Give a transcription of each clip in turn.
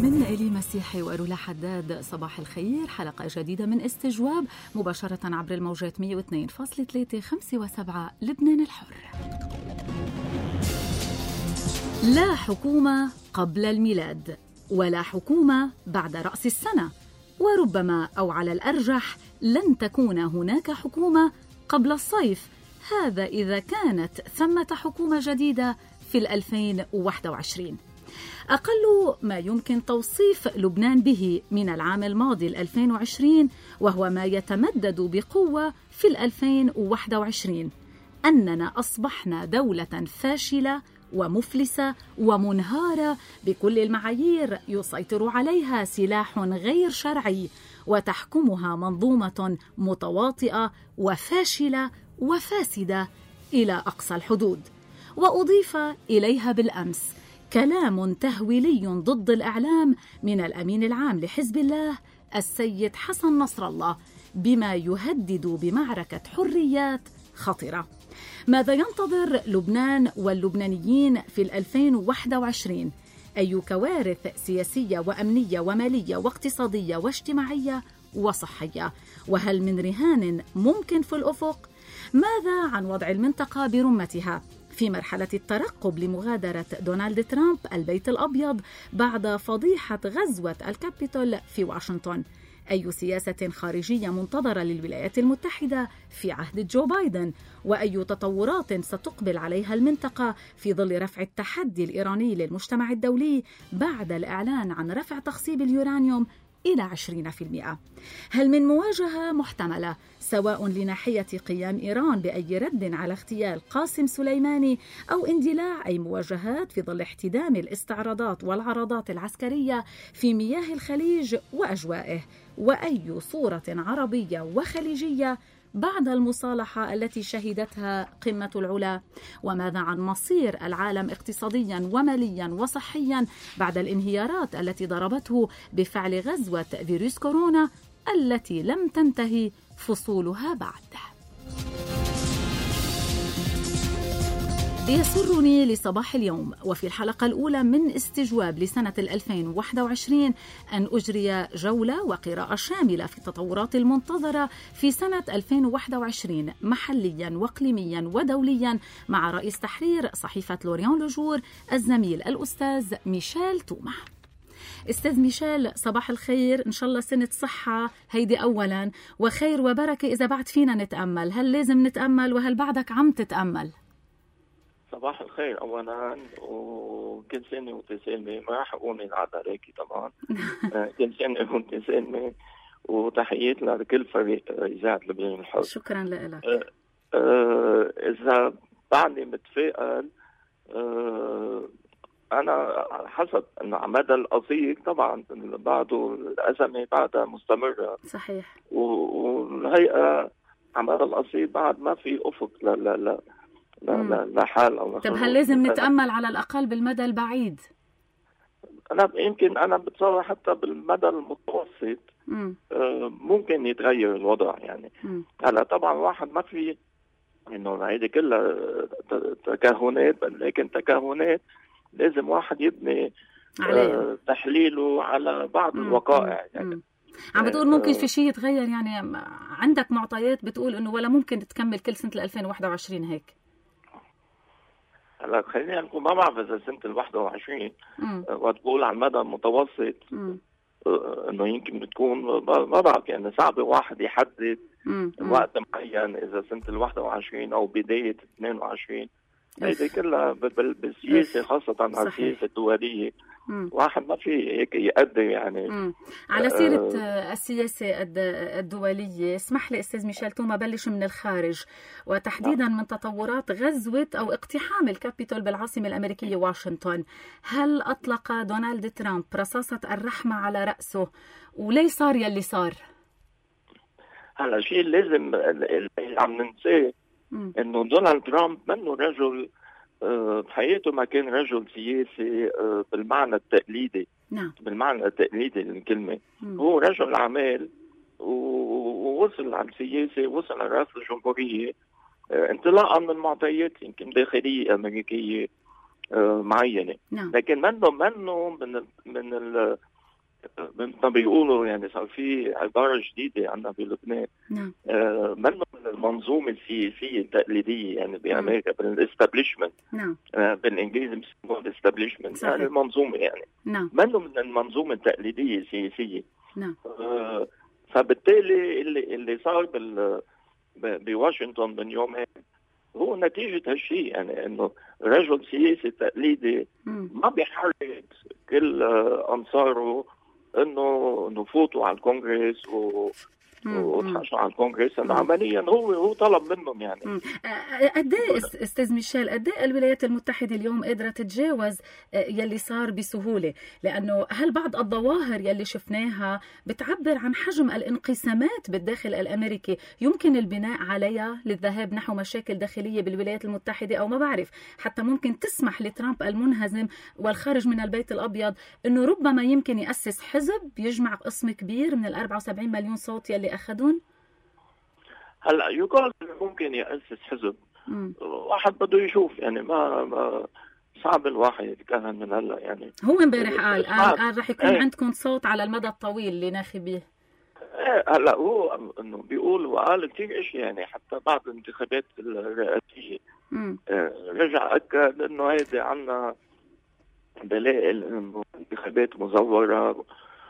من إلي مسيحي وأرولا حداد. صباح الخير، حلقة جديدة من استجواب مباشرة عبر الموجات 102.3 5 و7 لبنان الحر. لا حكومة قبل الميلاد ولا حكومة بعد رأس السنة، وربما أو على الأرجح لن تكون هناك حكومة قبل الصيف، هذا إذا كانت ثمة حكومة جديدة في 2021. أقل ما يمكن توصيف لبنان به من العام الماضي 2020 وهو ما يتمدد بقوة في 2021 أننا أصبحنا دولة فاشلة ومفلسة ومنهارة بكل المعايير، يسيطر عليها سلاح غير شرعي وتحكمها منظومة متواطئة وفاشلة وفاسدة إلى أقصى الحدود. وأضيف إليها بالأمس كلام تهويلي ضد الإعلام من الأمين العام لحزب الله السيد حسن نصر الله بما يهدد بمعركة حريات خطرة. ماذا ينتظر لبنان واللبنانيين في 2021؟ أي كوارث سياسية وأمنية ومالية واقتصادية واجتماعية وصحية؟ وهل من رهان ممكن في الأفق؟ ماذا عن وضع المنطقة برمتها في مرحلة الترقب لمغادرة دونالد ترامب البيت الأبيض بعد فضيحة غزوة الكابيتول في واشنطن؟ أي سياسة خارجية منتظرة للولايات المتحدة في عهد جو بايدن؟ وأي تطورات ستقبل عليها المنطقة في ظل رفع التحدي الإيراني للمجتمع الدولي بعد الإعلان عن رفع تخصيب اليورانيوم إلى 20%؟ هل من مواجهة محتملة سواء لناحية قيام إيران بأي رد على اغتيال قاسم سليماني أو اندلاع أي مواجهات في ظل احتدام الاستعراضات والعرضات العسكرية في مياه الخليج وأجوائه؟ وأي صورة عربية وخليجية بعد المصالحة التي شهدتها قمة العلا؟ وماذا عن مصير العالم اقتصاديا وماليا وصحيا بعد الانهيارات التي ضربته بفعل غزوة فيروس كورونا التي لم تنتهي فصولها بعد؟ يسرني لصباح اليوم وفي الحلقة الأولى من استجواب لسنة 2021 أن أجري جولة وقراءة شاملة في التطورات المنتظرة في سنة 2021 محليا وإقليميا ودوليا مع رئيس تحرير صحيفة لوريان لوجور الزميل الأستاذ ميشيل توما. أستاذ ميشيل، صباح الخير، إن شاء الله سنة صحة هيدي أولا وخير وبركة. إذا بعد فينا نتأمل، هل لازم نتأمل وهل بعدك عم تتأمل؟ صباح الخير أولا، وكل سنة وانت سالمة. ما راح أقول من عذراكي طبعا. كل سنة وانت سالمة، وتحياتنا لكل فريق إذاعة لبنان الحر. شكرا لك. إذا بعدني متفائل، أنا حسب أنه على مدى القصير طبعا بعده الأزمة بعدها مستمرة. صحيح. والهيئة على مدى القصير بعد ما في أفق لا حال أو طب هل لازم نتأمل على الأقل بالمدى البعيد؟ أنا يمكن بتصور حتى بالمدى المتوسط ممكن يتغير الوضع يعني. هلا طبعا واحد ما في إنه هيدي كلها تكهنات، لكن تكهنات لازم واحد يبني تحليله على بعض الوقائع يعني. عم بتقول ممكن في شيء يتغير، يعني عندك معطيات بتقول إنه ولا ممكن تكمل كل سنة 2021 هيك؟ هلا خلينا نقول ما بعرف اذا سنه ال 21 وتقول على المدى المتوسط انه يمكن تكون ما بعرف يعني. صعب واحد يحدد وقت معين اذا سنه ال 21 او بدايه 22. هيدي كلها بالسياسه خاصه على السياسه الدوليه واحد ما في هيك يقدر يعني. على سيرة السياسة الدولية، اسمح لي أستاذ ميشيل توما بلش من الخارج وتحديدا من تطورات غزوة أو اقتحام الكابيتول بالعاصمة الأمريكية واشنطن. هل أطلق دونالد ترامب رصاصة الرحمة على رأسه وليه صار يلي صار؟ هلا شيء لازم اللي عم ننساه إنه دونالد ترامب منه رجل بحياته ما كان رجل سياسي بالمعنى التقليدي. نعم. بالمعنى التقليدي للكلمة. هو رجل أعمال ووصل على السياسة، وصل على رأس الجمهورية انطلاقا من معطيات يمكن داخلية أمريكية معينة. نعم. لكن منه مثل ما بيقولوا يعني صار في عبارة جديدة عندنا بلبنان. نعم. منه من المنظومة السياسية التقليدية يعني بأمريكا بالاستابليشمنت. نعم. بالإنجليزي بيسموها الاستابليشمنت يعني المنظومة يعني. نعم. منه من المنظومة التقليدية السياسية. نعم. فبالتالي اللي صار بواشنطن من يومين هو نتيجة هالشيء، يعني انه رجل سياسي تقليدي ما بيحرك كل انصاره انه نفوتوا على الكونغرس وتحاشوا على الكونغرس، انه عمليا هو طلب منهم يعني. قد ايه استاذ ميشيل، قد ايه الولايات المتحده اليوم قادره تتجاوز يلي صار بسهوله؟ لانه هل بعض الظواهر يلي شفناها بتعبر عن حجم الانقسامات بالداخل الامريكي يمكن البناء عليها للذهاب نحو مشاكل داخليه بالولايات المتحده، او ما بعرف حتى ممكن تسمح لترامب المنهزم والخارج من البيت الابيض انه ربما يمكن ياسس حزب يجمع قسم كبير من ال 74 مليون صوت يلي أخذون؟ هلا يقال ممكن يأسس حزب. واحد بده يشوف يعني ما صعب الواحد يتكهن من هلا يعني. هو امبارح قال رح يكون عندكم صوت على المدى الطويل لناخبيه. هلا هو انه بيقول وقال كثير اشياء يعني، حتى بعد الانتخابات الرئاسيه رجع اكد انه هيدي عنا دلائل انه انتخابات مزوره،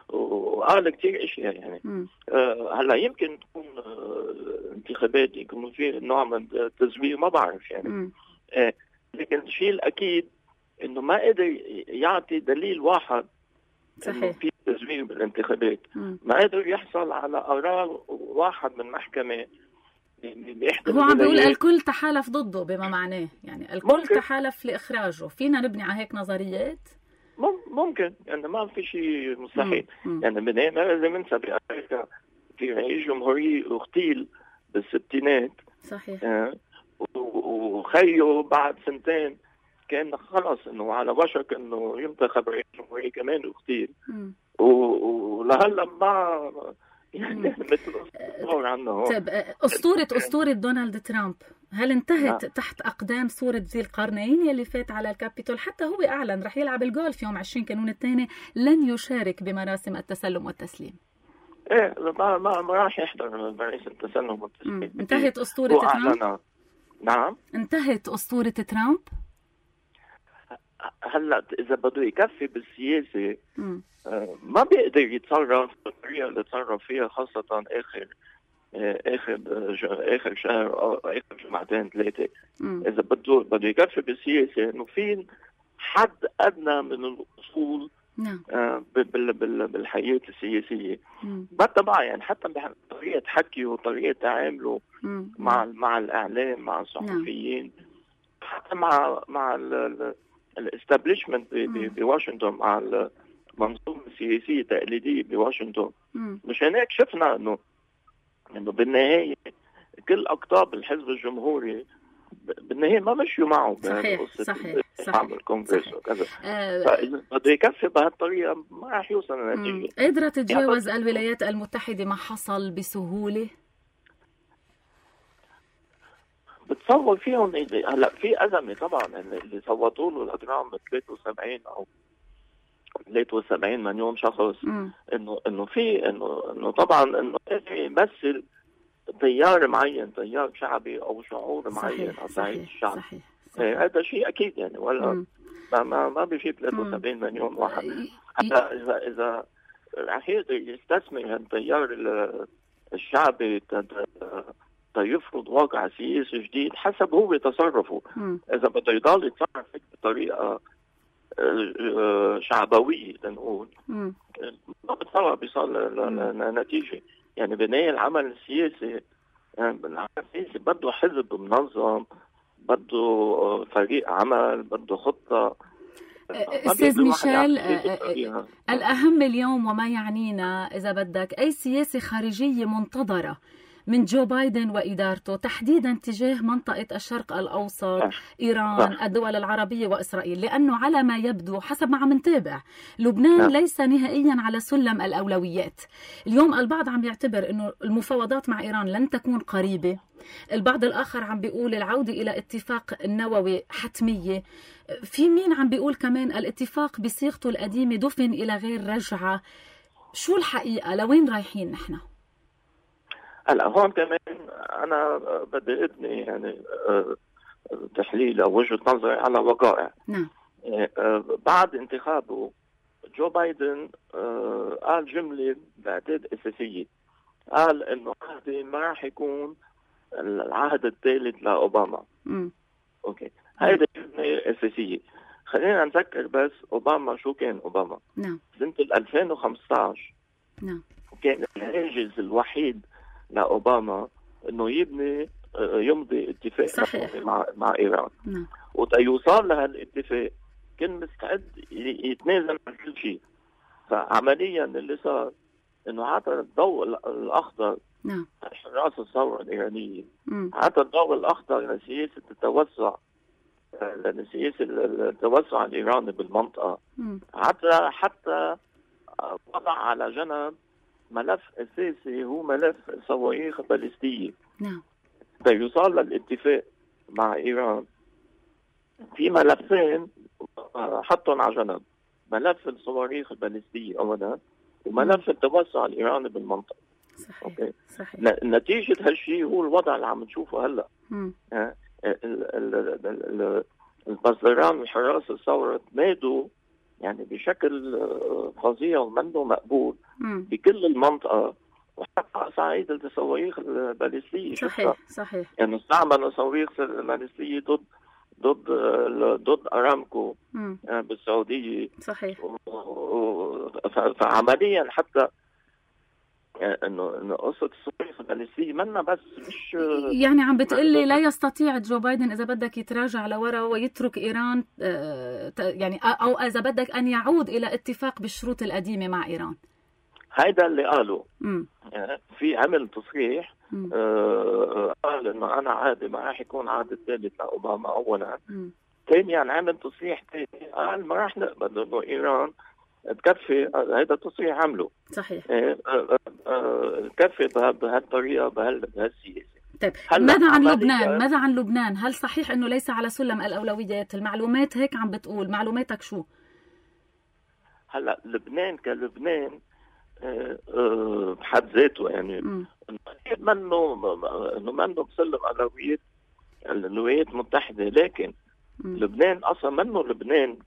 وقال كثير اشياء يعني. هلا يمكن تكون انتخابات يكون في نوع من التزوير، ما بعرف يعني. لكن الشيء الاكيد انه ما قدر يعطي دليل واحد انه في تزوير بالانتخابات. ما قدر يحصل على قرار واحد من محكمه هو عم بيقول الكل تحالف ضده، بما معناه يعني الكل ممكن تحالف لاخراجه. فينا نبني على هيك نظريات؟ ممكن يعني، ما في شيء مستحيل يعني. ما لازم ننسى بأمريكا في رئيس جمهورية اغتيل بالستينات. صحيح. وخيه بعد سنتين كان خلص انه على وشك انه ينتخب رئيس جمهورية كمان اغتيل. ولهلا ما يعني مثل اسطورة عنا هون. طيب اسطورة دونالد ترامب هل انتهت تحت اقدام صورة ذي القرنين يلي فات على الكابيتول؟ حتى هو اعلن رح يلعب الجولف يوم 20 كانون الثاني، لن يشارك بمراسم التسلم والتسليم. ايه ما راح يحضر مراسم التسلم والتسليم. انتهت اسطورة ترامب. نعم انتهت اسطورة ترامب. هلا اذا بده يكفي بالسياسه ما بيقدر يتصرف بالطريقه اللي تصرف فيها، خاصه اخر شهر او اخر جمعتين ثلاثه. اذا بده يكفي بالسياسه انه في حد ادنى من الاصول بالحياه السياسيه بتبع يعني، حتى بطريقه حكيه وطريقه تعامله مع الاعلام، مع الصحفيين، حتى مع الاستابليشمنت بواشنطن، مع المنظومه السياسيه التقليديه بواشنطن. مشان هيك شفنا انه بالنهايه كل اقطاب الحزب الجمهوري بالنهايه ما مشيوا معه. صحيح. الكونغرس وكذا. فاذا بده يكفي بهالطريقه ما راح يوصل لنتيجه. قادره تتجاوز الولايات المتحده ما حصل بسهوله؟ بتصور فيهم هلا في ازمه طبعا اللي صوتوا له الاجرام 73 او 73 مليون شخص. انه في انه طبعا انه يمثل تيار معين، تيار شعبي او شعور معين على صعيد الشعب. هذا شيء اكيد يعني، ولا ما بيفيد 73 مليون واحد. حتى اذا رح يقدر يستثمر التيار الشعبي يفرض واقع سياسي جديد حسب هو تصرفه. اذا بده يضل يتصرف بطريقه شعبويه لنقول، ما بتصور بيصل لنتيجه يعني. بناء العمل السياسي بده حزب منظم، بده فريق عمل، بده خطه. استاذ ميشيل، الاهم اليوم وما يعنينا اذا بدك اي سياسه خارجيه منتظره من جو بايدن وإدارته، تحديدا تجاه منطقة الشرق الأوسط، إيران، الدول العربية وإسرائيل، لأنه على ما يبدو حسب ما عم نتابع لبنان ليس نهائيا على سلم الأولويات. اليوم البعض عم يعتبر أنه المفاوضات مع إيران لن تكون قريبة، البعض الآخر عم بيقول العودة إلى اتفاق النووي حتمية، في مين عم بيقول كمان الاتفاق بصيغته القديمة دفن إلى غير رجعة. شو الحقيقة؟ لوين رايحين نحن؟ هلا هون كمان أنا بدي أبني يعني تحليل أو وجهة نظري على وقائع. نعم. بعد انتخابه جو بايدن قال جملة بعتقد أساسية، قال إنه عهدي ما راح يكون العهد الثالث لأوباما. أوكي، هيدي جملة أساسية. خلينا نذكر بس أوباما شو كان أوباما. نعم. سنة 2015 نعم. كان الهاجس الوحيد لأوباما إنه يمضي اتفاق مع إيران. نعم. وتيوصل لهالاتفاق كان مستعد يتنازل عن كل شيء. فعمليا اللي صار إنه عطى الضوء الأخضر. نعم. حراس الثورة الإيرانية عطى الضوء الأخضر لسياسة التوسع، لسياسة التوسع الإيراني بالمنطقة. حتى وضع على جنب ملف أساسي هو ملف صواريخ باليستية. نعم. فيوصل للاتفاق مع إيران في ملفين حطهم على جنب، ملف الصواريخ الباليستية أولا وملف التوسع الإيراني بالمنطقة. صحيح. أوكي. صحيح. نتيجة هالشيء هو الوضع اللي عم نشوفه هلا. البزران وحراس الثورة تمادوا يعني بشكل فظيع ومنه مقبول بكل المنطقة وحتى على صعيد الصواريخ الباليستية. صحيح. صحيح. يعني استعملوا صواريخ باليستية ضد أرامكو بالسعودية. صحيح. فعمليا حتى انه قصه الصواريخ الباليستيه منا بس مش يعني عم بتقلي لا يستطيع جو بايدن اذا بدك يتراجع لورا ويترك ايران، يعني او اذا بدك ان يعود الى اتفاق بالشروط القديمه مع ايران. هيدا اللي قاله. في عمل تصريح قال انه انا عادي ما راح يكون عهد الثالث لاوباما اولا. ثانيا عمل تصريح ثاني قال ما راح نقبل انه ايران تكفي. هذا التصريح عمله. صحيح. تكفي بهالطريقه بهالسياسه. طيب ماذا عن لبنان؟ ماذا عن لبنان؟ هل صحيح انه ليس على سلم الاولويات؟ المعلومات هيك عم بتقول، معلوماتك شو؟ هلا لبنان كلبنان بحد ذاته يعني منه بسلم اولويات الولايات المتحده، لكن لبنان اصلا منه لبنان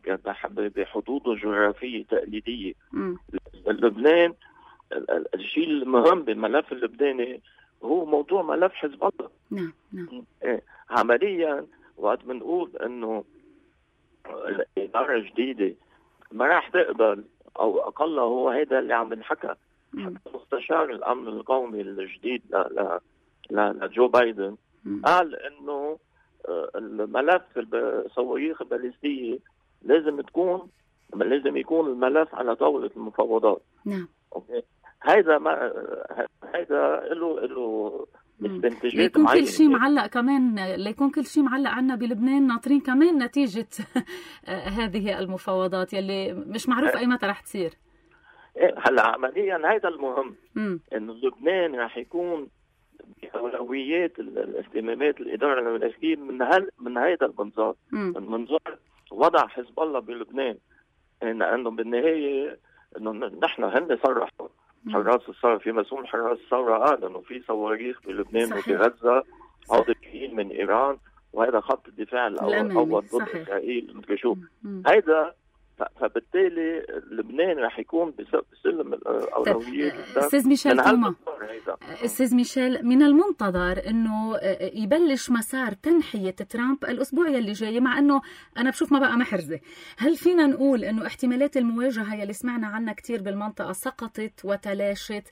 بحدوده الجغرافيه تقليديه. لبنان الشيء المهم بالملف اللبناني هو موضوع ملف حزب الله. نعم. نعم. عمليا وقت بنقول انه الاداره الجديده ما راح تقبل او اقل هو هذا اللي عم بنحكى. مستشار الامن القومي الجديد لجو بايدن قال انه الملف الصواريخ الباليستية لازم يكون الملف على طاولة المفاوضات. نعم. اوكي. هيدا له استنتاجات معينة. كل شيء معلق كمان، ليكون كل شيء معلق عنا بلبنان، ناطرين كمان نتيجة هذه المفاوضات يلي مش معروف اي متى رح تصير. هلا عمليا هيدا المهم انه لبنان رح يكون بأولويات الاهتمامات الإدارة الأمريكية من هذا المنظار. المنظار وضع حزب الله بلبنان، إنه بالنهاية إنه نحن هن صرحوا حراس الثورة، في مسؤول حراس الثورة قال إنه في صواريخ بلبنان وبغزة عودة من إيران، وهذا خط الدفاع الأول ضد إسرائيل مثل شو هيدا. فبالتالي لبنان رح يكون بسلم الأولويات. أستاذ ميشيل توما، أستاذ ميشيل، من المنتظر أنه يبلش مسار تنحية ترامب الأسبوع يلي جاي، مع أنه أنا بشوف ما بقى محرزة. هل فينا نقول أنه احتمالات المواجهة يلي سمعنا عنها كتير بالمنطقة سقطت وتلاشت؟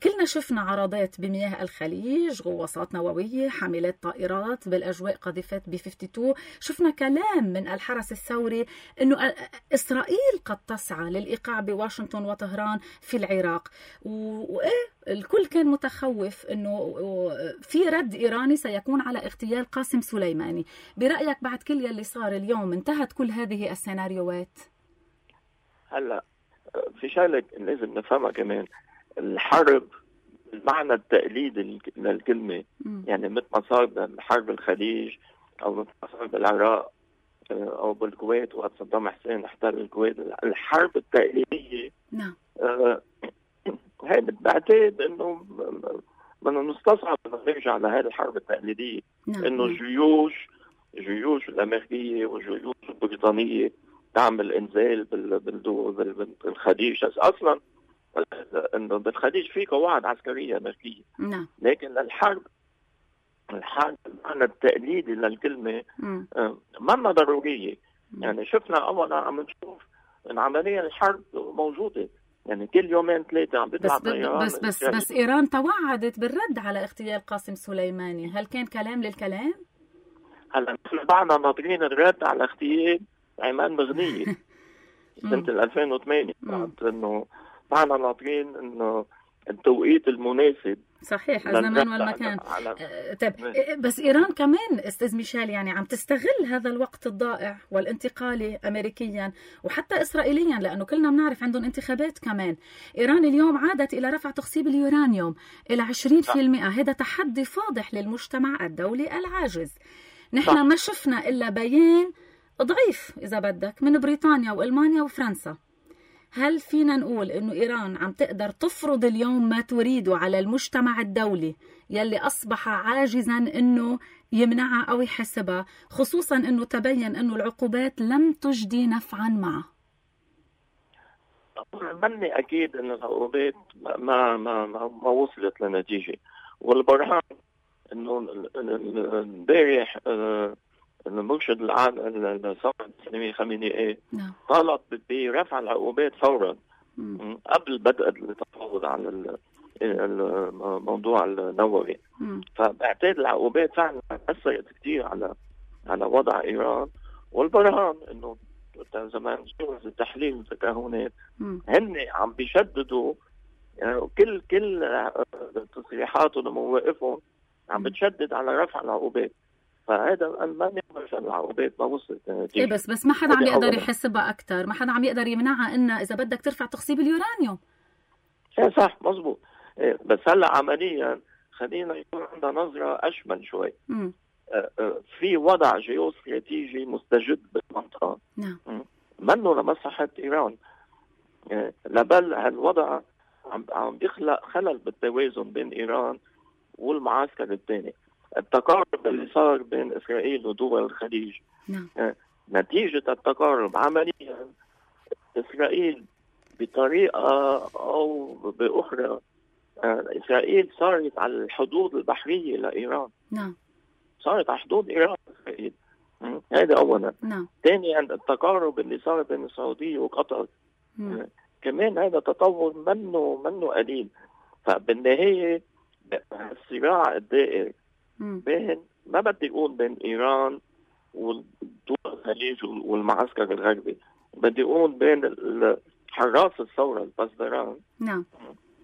كلنا شفنا عرضات بمياه الخليج، غواصات نووية، حاملات طائرات بالأجواء، قذيفات B-52. شفنا كلام من الحرس الثوري أنه إسرائيل قد تسعى للإيقاع بواشنطن وطهران في العراق، الكل كان متخوف أنه في رد إيراني سيكون على اغتيال قاسم سليماني. برأيك بعد كل يلي صار اليوم انتهت كل هذه السيناريوهات؟ هلا في شغلة لازم نفهمها كمان. الحرب المعنى التقليدي للكلمة يعني مثل ما صار بحرب الخليج أو مثل ما صار بالعراق أو بالكويت وقت صدام حسين احتل الكويت. الحرب التقليدية نعم هيدا بعتقد انه بدنا نستصعب انه نرجع لهذه الحرب التقليديه. انه جيوش الامريكيه والجيوش البريطانيه تعمل انزال بالخليج. اصلا انه بالخليج في قواعد عسكريه امريكيه. لكن الحرب المعنى التقليدي للكلمه ما ضروريه. يعني شفنا اولا عم نشوف ان عمليا الحرب موجوده، يعني كل يومين ثلاثه عم بيطلع طيران. بس ايران توعدت بالرد على اغتيال قاسم سليماني، هل كان كلام للكلام؟ هلا نحن بعدنا ناطرين الرد على اغتيال عماد مغنية سنة 2008. انه بعدنا ناطرين انه التوقيت المناسب. صحيح، الزمان والمكان. طيب بس إيران كمان أستاذ ميشيل يعني عم تستغل هذا الوقت الضائع والانتقالي أمريكيا وحتى إسرائيليا، لأنه كلنا بنعرف عندهم انتخابات كمان. إيران اليوم عادت إلى رفع تخصيب اليورانيوم إلى 20%. هذا تحدي فاضح للمجتمع الدولي العاجز. نحن ما شفنا إلا بيان ضعيف إذا بدك من بريطانيا وألمانيا وفرنسا. هل فينا نقول إنه إيران عم تقدر تفرض اليوم ما تريده على المجتمع الدولي يلي أصبح عاجزا إنه يمنعها أو يحسبها، خصوصا إنه تبين إنه العقوبات لم تجدي نفعا معه؟ مني أكيد إن العقوبات ما وصلت لنتيجة، والبرهان إنه امبارح المرشد العام الثورة الإسلامية خامنئي طالب برفع العقوبات فورا قبل بدء التفاوض على الموضوع النووي. فبعتقد العقوبات فعلا أثرت كثير على وضع إيران، والبرهان إنه زمان جوز التحليل والتكهنات هن عم بيشددوا، يعني كل تصريحاتهم ومواقفهم عم بتشدد على رفع العقوبات. فهذا ما نعرف العقوبات ما وصلت نتيجة. بس ما حدا عم يقدر يحسبها أكتر، ما حدا عم يقدر يمنعها إنها إذا بدك ترفع تخصيب اليورانيوم. صح مزبوط. بس هلا عمليا خلينا يكون عندنا نظرة أشمل شوي. في وضع جيوستراتيجي مستجد بالمنطقة منه لمصلحة إيران، لبل هالوضع عم بيخلق خلل بالتوازن بين إيران والمعسكر الثاني. التقارب اللي صار بين إسرائيل ودول الخليج نتيجة التقارب عمليا إسرائيل بطريقة أو بأخرى إسرائيل صارت على الحدود البحرية لإيران. صارت على حدود إيران إسرائيل. هذا أولا. ثانيا التقارب اللي صار بين السعودية وقطر كمان هذا تطور منه قليل. فبالنهاية الصراع الدائر بين ما بدي اقول بين ايران ودول الخليج والمعسكر الغربي، بدي اقول بين حراس الثوره البزدران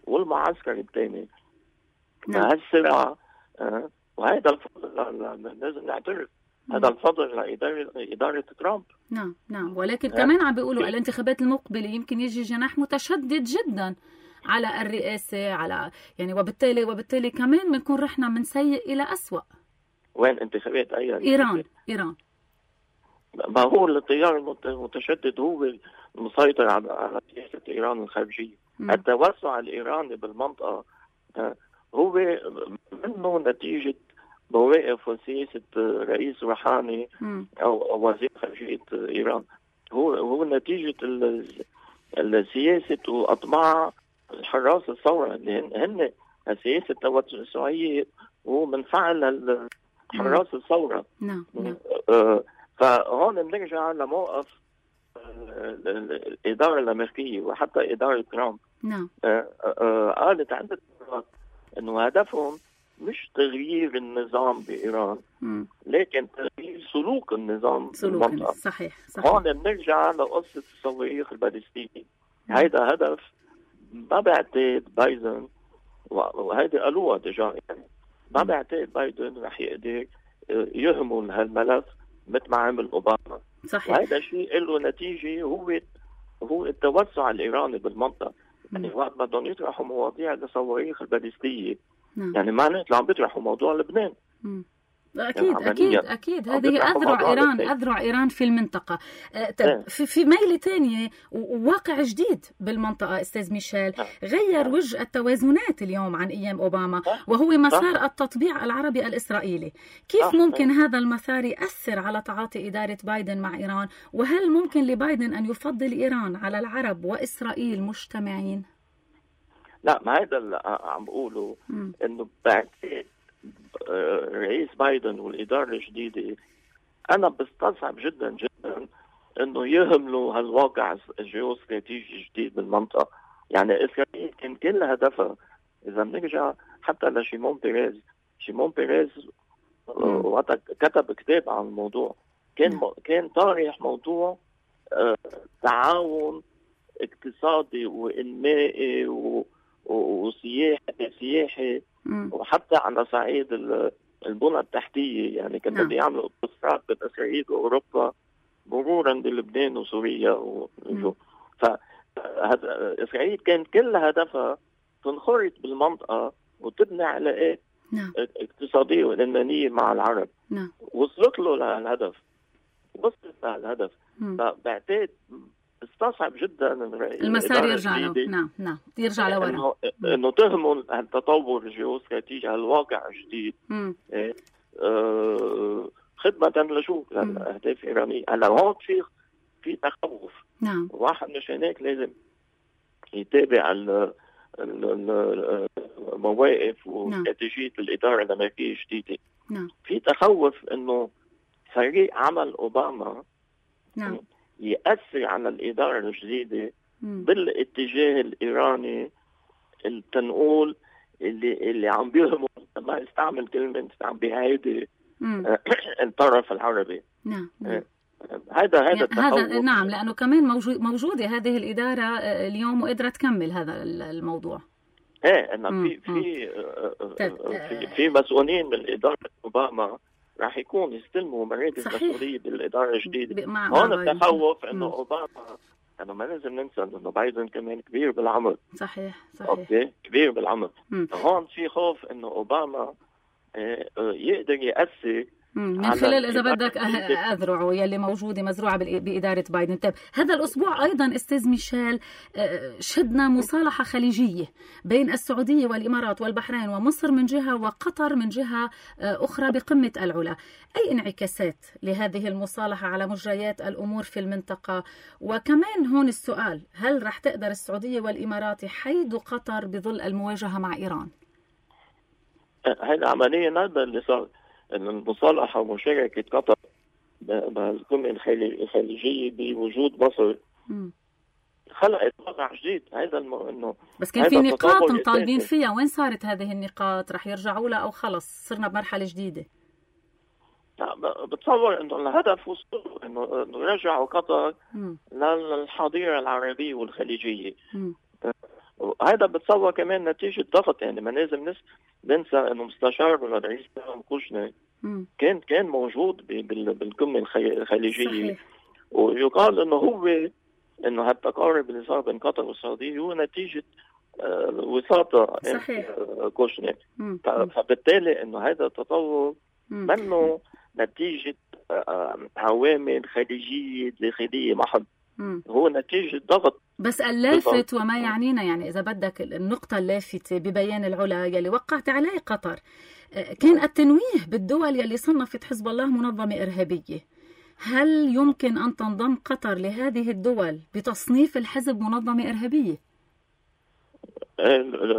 والمعسكر الثاني. هالصراع وهذا الفضل لازم نعترف هذا الفضل لإدارة ترامب. نعم ولكن كمان عم بيقولوا الانتخابات المقبلة يمكن يجي جناح متشدد جدا على الرئاسة، على يعني وبالتالي كمان بنكون رحنا من سيء إلى أسوأ. وين انتخابات إيران ما هو التيار المتشدد هو المسيطر على سياسة إيران الخارجية. التوسع الإيراني بالمنطقة هو منه نتيجة مواقف وسياسة رئيس روحاني أو وزير خارجية إيران، هو نتيجة السياسة وأطماع الحراس الثورة اللي هن سياسة التوسعية ومن فعل حراس الثورة. فهون بنرجع لموقف الإدارة الأمريكية وحتى إدارة ترامب. قالت عدة مرات إنه هدفهم مش تغيير النظام بإيران لكن تغيير سلوك النظام بالمنطقة. صحيح. هون بنرجع لقصة الصواريخ البالستية. هيدا هدف ما بعتقد بايدن وهيدي قالوها ديجا، يعني ما بعتقد بايدن رح يقدر يهمل هالملف مثل ما عمل اوباما. صحيح. وهذا الشيء له نتيجه هو التوسع الايراني بالمنطقه. يعني وقت بدهم يطرحوا مواضيع الصواريخ البالستيه يعني معناته عم بيطرحوا موضوع لبنان. أكيد هذه أذرع إيران في المنطقة. في ميلة تانية وواقع جديد بالمنطقة أستاذ ميشيل غير وجه التوازنات اليوم عن أيام أوباما، وهو مسار التطبيع العربي الإسرائيلي. كيف ممكن هذا المسار يأثر على تعاطي إدارة بايدن مع إيران؟ وهل ممكن لبايدن أن يفضل إيران على العرب وإسرائيل مجتمعين؟ لا، ما هذا اللي عم بقوله، إنه بعتقد رئيس بايدن والإدارة الجديدة أنا بستصعب جدا جدا إنه يهملوا هالواقع الجيوستراتيجي الجديد بالمنطقة. يعني إسرائيل كان كل هدفها، إذا بنرجع حتى لشيمون بيريز وقت كتب كتاب عن الموضوع، كان طارح موضوع تعاون اقتصادي وإنمائي وسياحي وحتى على صعيد البنى التحتية. يعني كانوا بده يعملوا اتصالات بين إسرائيل وأوروبا مرورا بلبنان وسوريا فإسرائيل كان كل هدفها تنخرط بالمنطقة وتبني علاقات اقتصادية وإنمائية مع العرب. وصلت له لهالهدف، فبعتقد استصعب جدا المسار يرجع له. نعم يرجع لورا، انه تهموا التطور الجيوستراتيجي هالواقع الجديد خدمة لشو لأهداف إيرانية. هلا هون في تخوف. واحد مش هناك لازم يتابع المواقف واستراتيجية الإدارة الأمريكية الجديدة. في تخوف إنه فريق عمل أوباما يأثر على الإدارة الجديدة بالاتجاه الإيراني التنقول اللي عم بيهموا، ما استعمل كلمة عم بيهيدي الطرف العربي. هذا نعم، لأنه كمان موجودة هذه الإدارة اليوم وقدرت تكمل هذا الموضوع. إنه في مسؤولين من إدارة أوباما راح يكون يستلموا مراكز مسؤولية بالإدارة الجديدة. هون التخوف إنه أوباما، أنا ما لازم ننسى إنه بايدن كمان كبير بالعمر. صحيح. أوكي، كبير بالعمر. هون في خوف إنه أوباما يقدر يأثر من خلال إذا بدك أذرعه يلي موجودة مزروعة بإدارة بايدن. طيب هذا الأسبوع أيضا أستاذ ميشيل شهدنا مصالحة خليجية بين السعودية والإمارات والبحرين ومصر من جهة وقطر من جهة أخرى بقمة العلا. أي انعكاسات لهذه المصالحة على مجريات الأمور في المنطقة؟ وكمان هون السؤال، هل رح تقدر السعودية والإمارات يحيدوا قطر بظل المواجهة مع إيران؟ هذا عمليا هذا اللي صار، إن المصالحة ومشاركة قطر بالقمة الخليجية بوجود مصر خلقت واقع جديد. هذا إنه بس كان في نقاط مطالبين فيها، وين صارت هذه النقاط؟ رح يرجعوا لها أو خلص صرنا بمرحلة جديدة؟ لا، بتصور إنه الهدف وصلوا إنه رجعوا قطر للحضيرة العربية والخليجية. هذا بتصور كمان نتيجة ضغط. يعني ما لازم ننسى إنه مستشار الرئيس كوشنر كان موجود بالقمة الخليجية. صحيح. ويقال إنه هالتقارب اللي صار بين قطر والسعودية هو نتيجة وساطة كوشنر. فبالتالي إنه هذا التطور منه نتيجة عوامل خليجية داخلية محض، هو نتيجة ضغط. بس اللافت وما يعنينا، يعني إذا بدك النقطة اللافتة ببيان العلا يلي وقعت عليه قطر كان التنويه بالدول يلي صنفت حزب الله منظمة إرهابية. هل يمكن أن تنضم قطر لهذه الدول بتصنيف الحزب منظمة إرهابية؟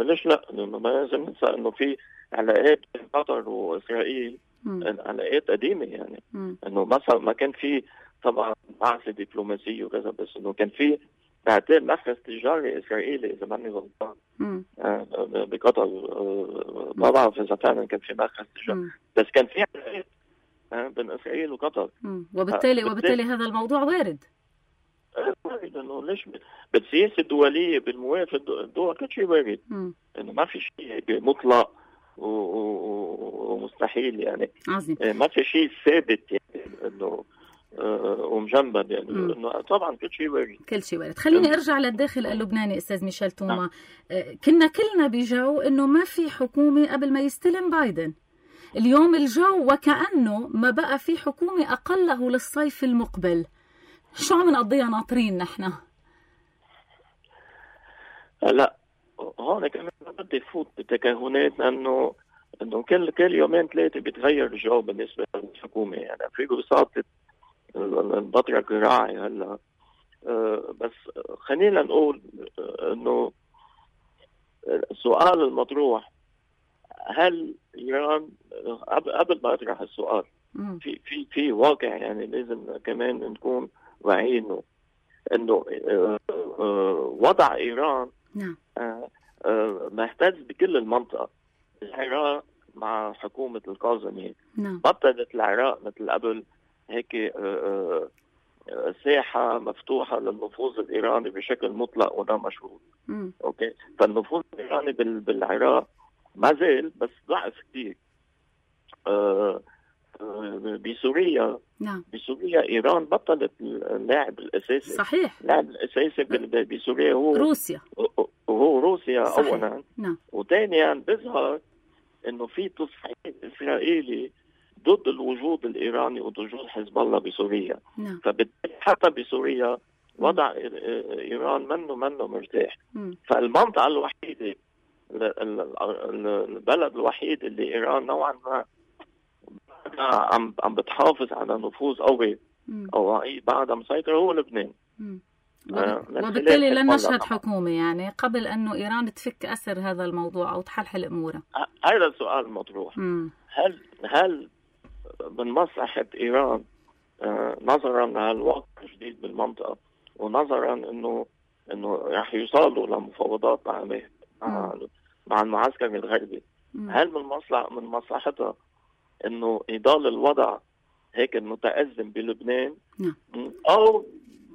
ليش لا؟ ما لازم ننسى إنه في علاقات بين قطر وإسرائيل، علاقات قديمة. يعني إنه مثلا ما كان في طبعا بعثة دبلوماسية وكذا، بس إنه كان في بعتقد مركز تجاري إسرائيلي إذا ماني غلطان بقطر. ما بعرف إذا فعلا كان في مركز تجاري، بس كان في علاقات بين إسرائيل وقطر. وبالتالي هذا الموضوع وارد. إنه ليش بالسياسة الدولية بالموافقة الدول كل شيء وارد. إنه ما في شيء مطلق ومستحيل. يعني عظيم. ما في شيء ثابت يعني إنه ومجنبا. يعني إنه طبعا كل شيء وارد. خليني ارجع للداخل اللبناني استاذ ميشيل توما. كنا كلنا بجو انه ما في حكومه قبل ما يستلم بايدن. اليوم الجو وكأنه ما بقى في حكومة أقله للصيف المقبل. شو عم نقضيها ناطرين نحن؟ لا هون كمان بدي فوت بتكهنات لأنه كل يومين ثلاثة بيتغير الجو بالنسبة للحكومة. يعني في وساطة البطرك الراعي هلا. بس خلينا نقول انه السؤال المطروح، هل ايران قبل ما اطرح السؤال في واقع يعني لازم كمان نكون واعيين انه وضع ايران مهتز بكل المنطقة. العراق مع حكومة الكاظمي بطلت العراق مثل قبل هيك ساحة مفتوحة للنفوذ الإيراني بشكل مطلق ولا مشروط. أوكي، فالنفوذ الإيراني بالعراق ما زال بس ضعف كتير. بسوريا بسوريا إيران بطلت اللاعب الأساسي. صحيح. اللاعب الأساسي بسوريا هو روسيا أولا. وثانيا بيظهر إنه في تصعيد إسرائيلي ضد الوجود الإيراني ووجود حزب الله بسوريا. فبالتالي حتى بسوريا وضع إيران منه مرتاح. فالمنطقة الوحيدة، البلد الوحيد اللي إيران نوعا ما عم بتحافظ على نفوذ قوي أو بعدها مسيطرة هو لبنان. وبالتالي لن نشهد حكومة يعني قبل أنه إيران تفك أسر هذا الموضوع أو تحلحل أمورها. هذا السؤال المطروح. هل من مصلحة إيران نظرا للواقع الجديد بالمنطقة ونظرا إنه رح يوصلوا لمفاوضات مع المعسكر الغربي، هل من مصلحتها إنه يضل الوضع هيك متأزم بلبنان؟ أو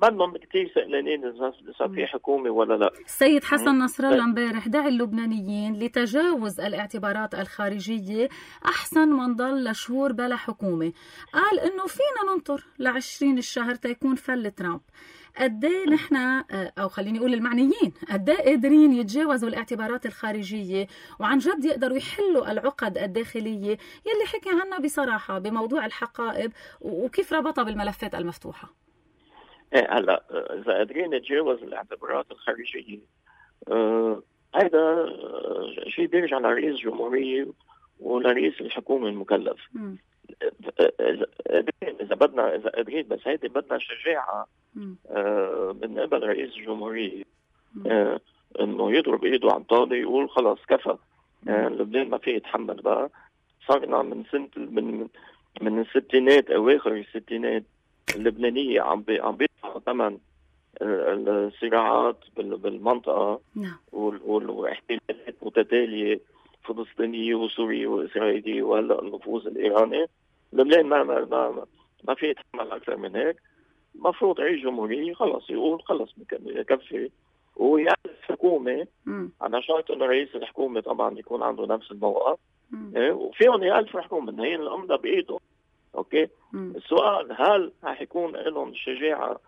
بدهم كتير سئلانين إذا في حكومة ولا لا. السيد حسن نصر الله امبارح دعا اللبنانيين لتجاوز الاعتبارات الخارجية أحسن ما نضل لشهور بلا حكومة. قال إنه فينا ننطر ل20 الشهر تيكون فل ترامب. قديه نحن أو خليني أقول المعنيين قديه قادرين يتجاوزوا الاعتبارات الخارجية وعن جد يقدروا يحلوا العقد الداخلية يلي حكي عنها بصراحة بموضوع الحقائب وكيف ربطها بالملفات المفتوحة. هلا اذا قادرين نتجاوز الاعتبارات الخارجيه، هذا شيء بيرجع لرئيس الجمهوريه ولرئيس الحكومه المكلف. اذا قادرين بس هيدي بدنا شجاعه من قبل رئيس الجمهوريه انه يضرب ايده على الطاوله يقول خلاص كفى. لبنان ما فيه يتحمل بقى. صارنا من سنه من الستينات اواخر الستينات اللبنانية عم بيدفعوا ثمن الصراعات بالمنطقة واحتلالات متتالية فلسطينية وسورية وإسرائيلية وهلا النفوذ الإيراني. لبنان ما في يتحمل أكثر من هيك. مفروض رئيس جمهورية خلص يقول خلص يكفي ويعرف حكومة على شرط إنه رئيس الحكومة طبعا يكون عنده نفس الموقف. وفيهم يألف حكومة هي الأمضة بإيده. اوكي. السؤال هل رح يكون لهم الشجاعه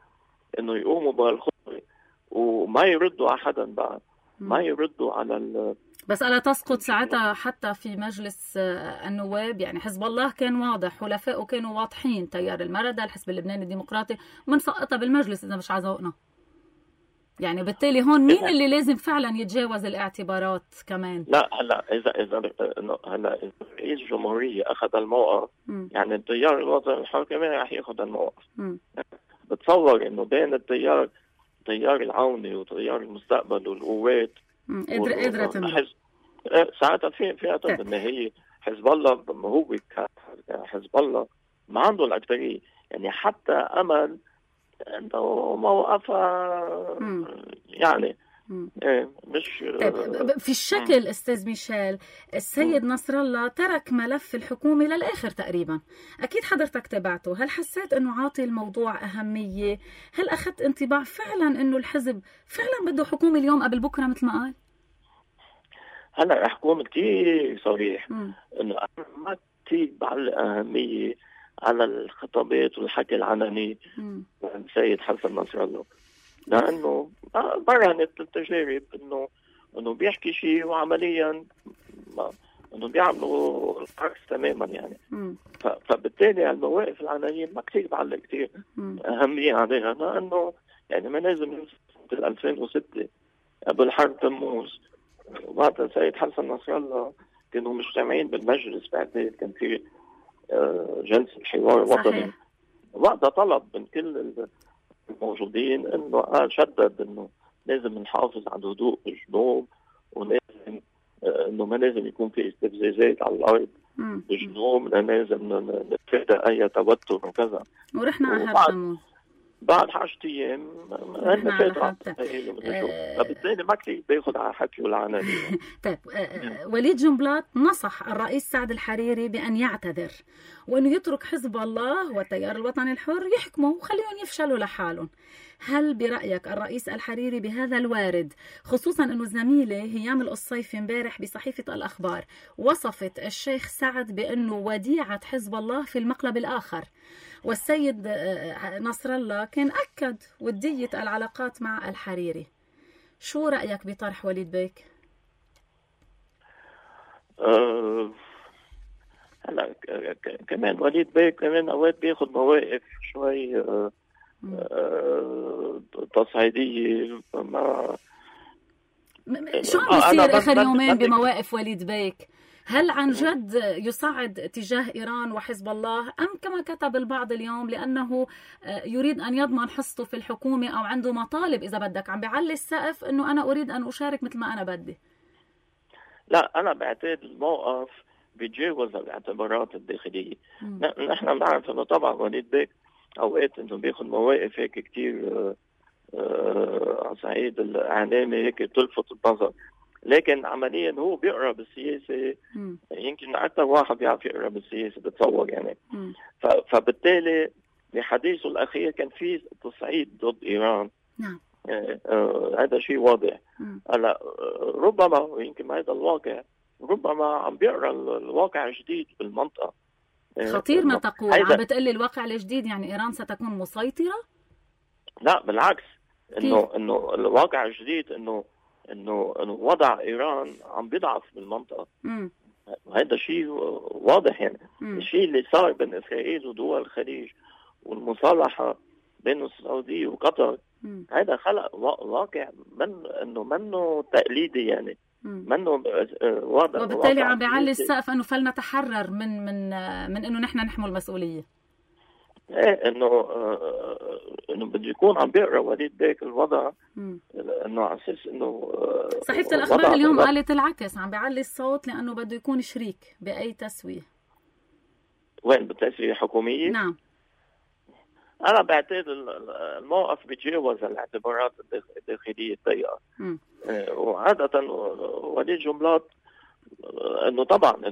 انه يقوموا بهالخطوه وما يردوا على حدا بعد، ما يردوا على بس ألا تسقط ساعتها حتى في مجلس النواب؟ يعني حزب الله كان واضح، حلفائه كانوا واضحين، تيار المردة، الحزب اللبناني الديمقراطي، منسقطها بالمجلس اذا مش عذوقنا. يعني بالتالي هون مين اللي لازم فعلا يتجاوز الاعتبارات كمان؟ لا هلا هلا رئيس الجمهورية اخذ الموقف، يعني التيار الوطني الحر كمان رح ياخذ الموقف. بتصور انه بين التيار العوني وتيار المستقبل والقوات قدرت ساعتها في بالنهاية حزب الله هو حزب الله ما عنده الأكثرية. يعني حتى أمل انه موقفها يعني مش في الشكل. استاذ ميشيل، السيد نصر الله ترك ملف الحكومة للآخر تقريبا، اكيد حضرتك تابعته. هل حسيت انه عاطي الموضوع اهمية؟ هل اخذت انطباع فعلا انه الحزب فعلا بده حكومة اليوم قبل بكرة مثل ما قال؟ هلا رح اكون كثير صريح انه انا ما كثير بعلق اهمية على الخطابات والحكي العلني السيد حسن نصر الله، لانه برهنت التجارب انه بيحكي شيء وعمليا انه بيعملوا العكس تماما يعني. فبالتالي المواقف العناوين ما كثير بعلق كثير اهميه عليها، لانه يعني ما لازم ننسى 2006 قبل حرب تموز وقت السيد حسن نصر الله كانوا مجتمعين بالمجلس، بعدين كان في جلسه حوار وطني، وقتها طلب من كل الموجودين انه شدد انه لازم نحافظ على الهدوء بالجنوب، ولازم انه ما لازم يكون في استفزازات على الارض بالجنوب، لازم نتفادى اي توتر وكذا. ورحنا على حرب بعد 10 ايام هن فاتوا. فبالتالي ما كثير بياخذ على حكي والعناوين. طيب وليد جنبلاط نصح الرئيس سعد الحريري بأن يعتذر وأنه يترك حزب الله والتيار الوطني الحر يحكموا وخليهم يفشلوا لحالهم. هل برأيك الرئيس الحريري بهذا الوارد، خصوصا أنه زميلة هيام القصيفي امبارح بصحيفة الأخبار وصفت الشيخ سعد بأنه وديعة حزب الله في المقلب الآخر، والسيد نصر الله كان أكد ودية العلاقات مع الحريري، شو رأيك بطرح وليد بيك؟ هلا كمان وليد بيك كمان اوقات بياخذ مواقف شوي تصعيديه. شو عم بيصير اخر يومين بمواقف وليد بيك؟ هل عن جد يصعد تجاه إيران وحزب الله، أم كما كتب البعض اليوم لأنه يريد أن يضمن حصته في الحكومة أو عنده مطالب إذا بدك، عم بيعلي السقف أنه أنا أريد أن أشارك مثل ما أنا بدي؟ لا، أنا بعتقد الموقف بيتجاوز الاعتبارات الداخلية. نحن بنعرف أنه طبعا وليد بيك أوقات أنه بياخذ مواقف هيك كتير على صعيد الإعلامي هيك تلفت النظر، لكن عمليا هو بيقرا بالسياسه يمكن اكثر واحد بيعرف يقرا بالسياسه بتصور يعني. فبالتالي بحديثه الاخير كان في تصعيد ضد ايران. نعم. هذا شيء واضح. هلا ربما يمكن هذا الواقع ربما عم بيقرا الواقع الجديد بالمنطقه. خطير ما تقول. عم بتقلي الواقع الجديد يعني ايران ستكون مسيطره؟ لا بالعكس، انه الواقع الجديد انه وضع ايران عم بيضعف بالمنطقه. هذا شيء واضح يعني. الشيء اللي صار بين اسرائيل ودول الخليج والمصالحه بين السعوديه وقطر هذا خلق واقع منه تقليدي يعني، منه واضح. وبالتالي عم بيعلي السقف انه فلنتحرر من انه نحن نحمل المسؤوليه. ايه انه بده يكون عم بيقرا وليد بيك الوضع، انه على اساس انه صحيفه الاخبار اليوم قالت العكس، عم بيعلي الصوت لانه بده يكون شريك باي تسويه. وين بالتسويه الحكوميه؟ نعم. انا بعتقد الموقف بيتجاوز الاعتبارات الداخليه الضيقه. وعاده وليد جنبلاط انه طبعا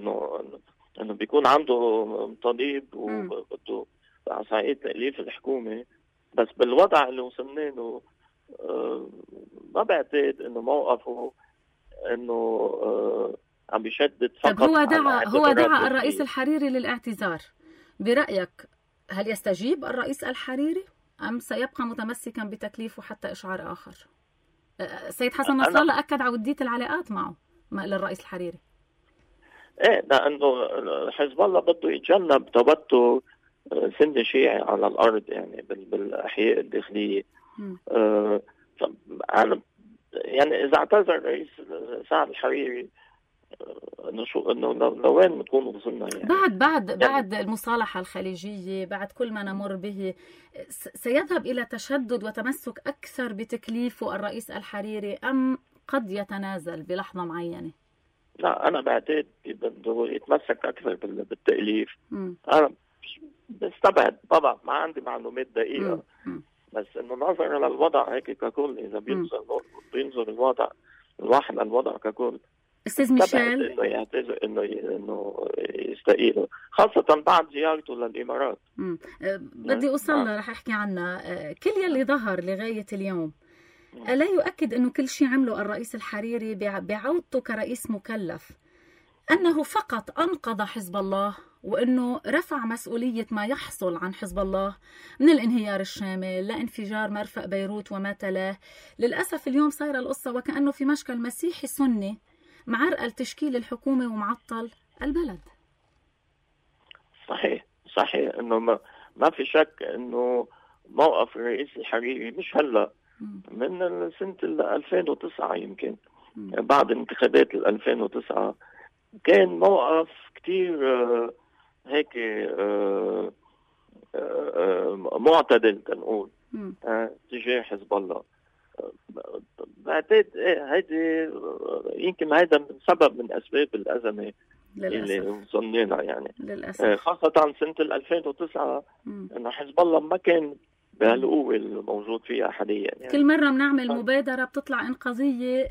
انه بيكون عنده طبيب وبده على صعيد تأليف الحكومة، بس بالوضع اللي وصلنا له ما بعتقد انه موقفه انه عم بيشدد فقط. طب هو دعا الرئيس الحريري للاعتذار، برأيك هل يستجيب الرئيس الحريري أم سيبقى متمسكا بتكليفه حتى إشعار آخر؟ السيد حسن نصر الله أكد على ودية العلاقات معه للرئيس الحريري. ايه، لأنه حزب الله بده يتجنب توتر سن شيعي على الأرض يعني بالأحياء الداخلية. يعني إذا اعتذر الرئيس سعد الحريري انه لوين بنكون وصلنا يعني. بعد المصالحة الخليجية، بعد كل ما نمر به، سيذهب إلى تشدد وتمسك أكثر بتكليفه الرئيس الحريري أم قد يتنازل بلحظة معينة؟ لا، أنا بعتقد بده يتمسك أكثر بالتأليف. أنا بستبعد طبعا، ما عندي معلومات دقيقة، بس إنه نظرا للوضع هيك ككل، إذا بينظر الوضع الواحد للوضع ككل، استاذ ميشيل انه يعتذر انه يستقيل، خاصه بعد زيارته للامارات. بدي اوصل رح احكي عنها. كل يلي ظهر لغايه اليوم الا يؤكد انه كل شيء عمله الرئيس الحريري بعودته كرئيس مكلف انه فقط انقذ حزب الله، وانه رفع مسؤوليه ما يحصل عن حزب الله من الانهيار الشامل لانفجار مرفأ بيروت وما تلاه. للاسف اليوم صايره القصه وكانه في مشكل مسيحي سني معرقل تشكيل الحكومة ومعطل البلد. صحيح انه ما في شك انه موقف الرئيس الحريري مش هلا، من سنة 2009 يمكن بعد انتخابات 2009 كان موقف كتير هيك معتدل تنقول تجاه حزب الله. بعتقد هيدي يمكن هيدا من سبب من اسباب الازمه اللي وصلنا يعني للأسف. خاصه سنه 2009 انه حزب الله ما كان بهالقوه الموجود فيها حاليا يعني. كل مره بنعمل مبادره بتطلع انقاذيه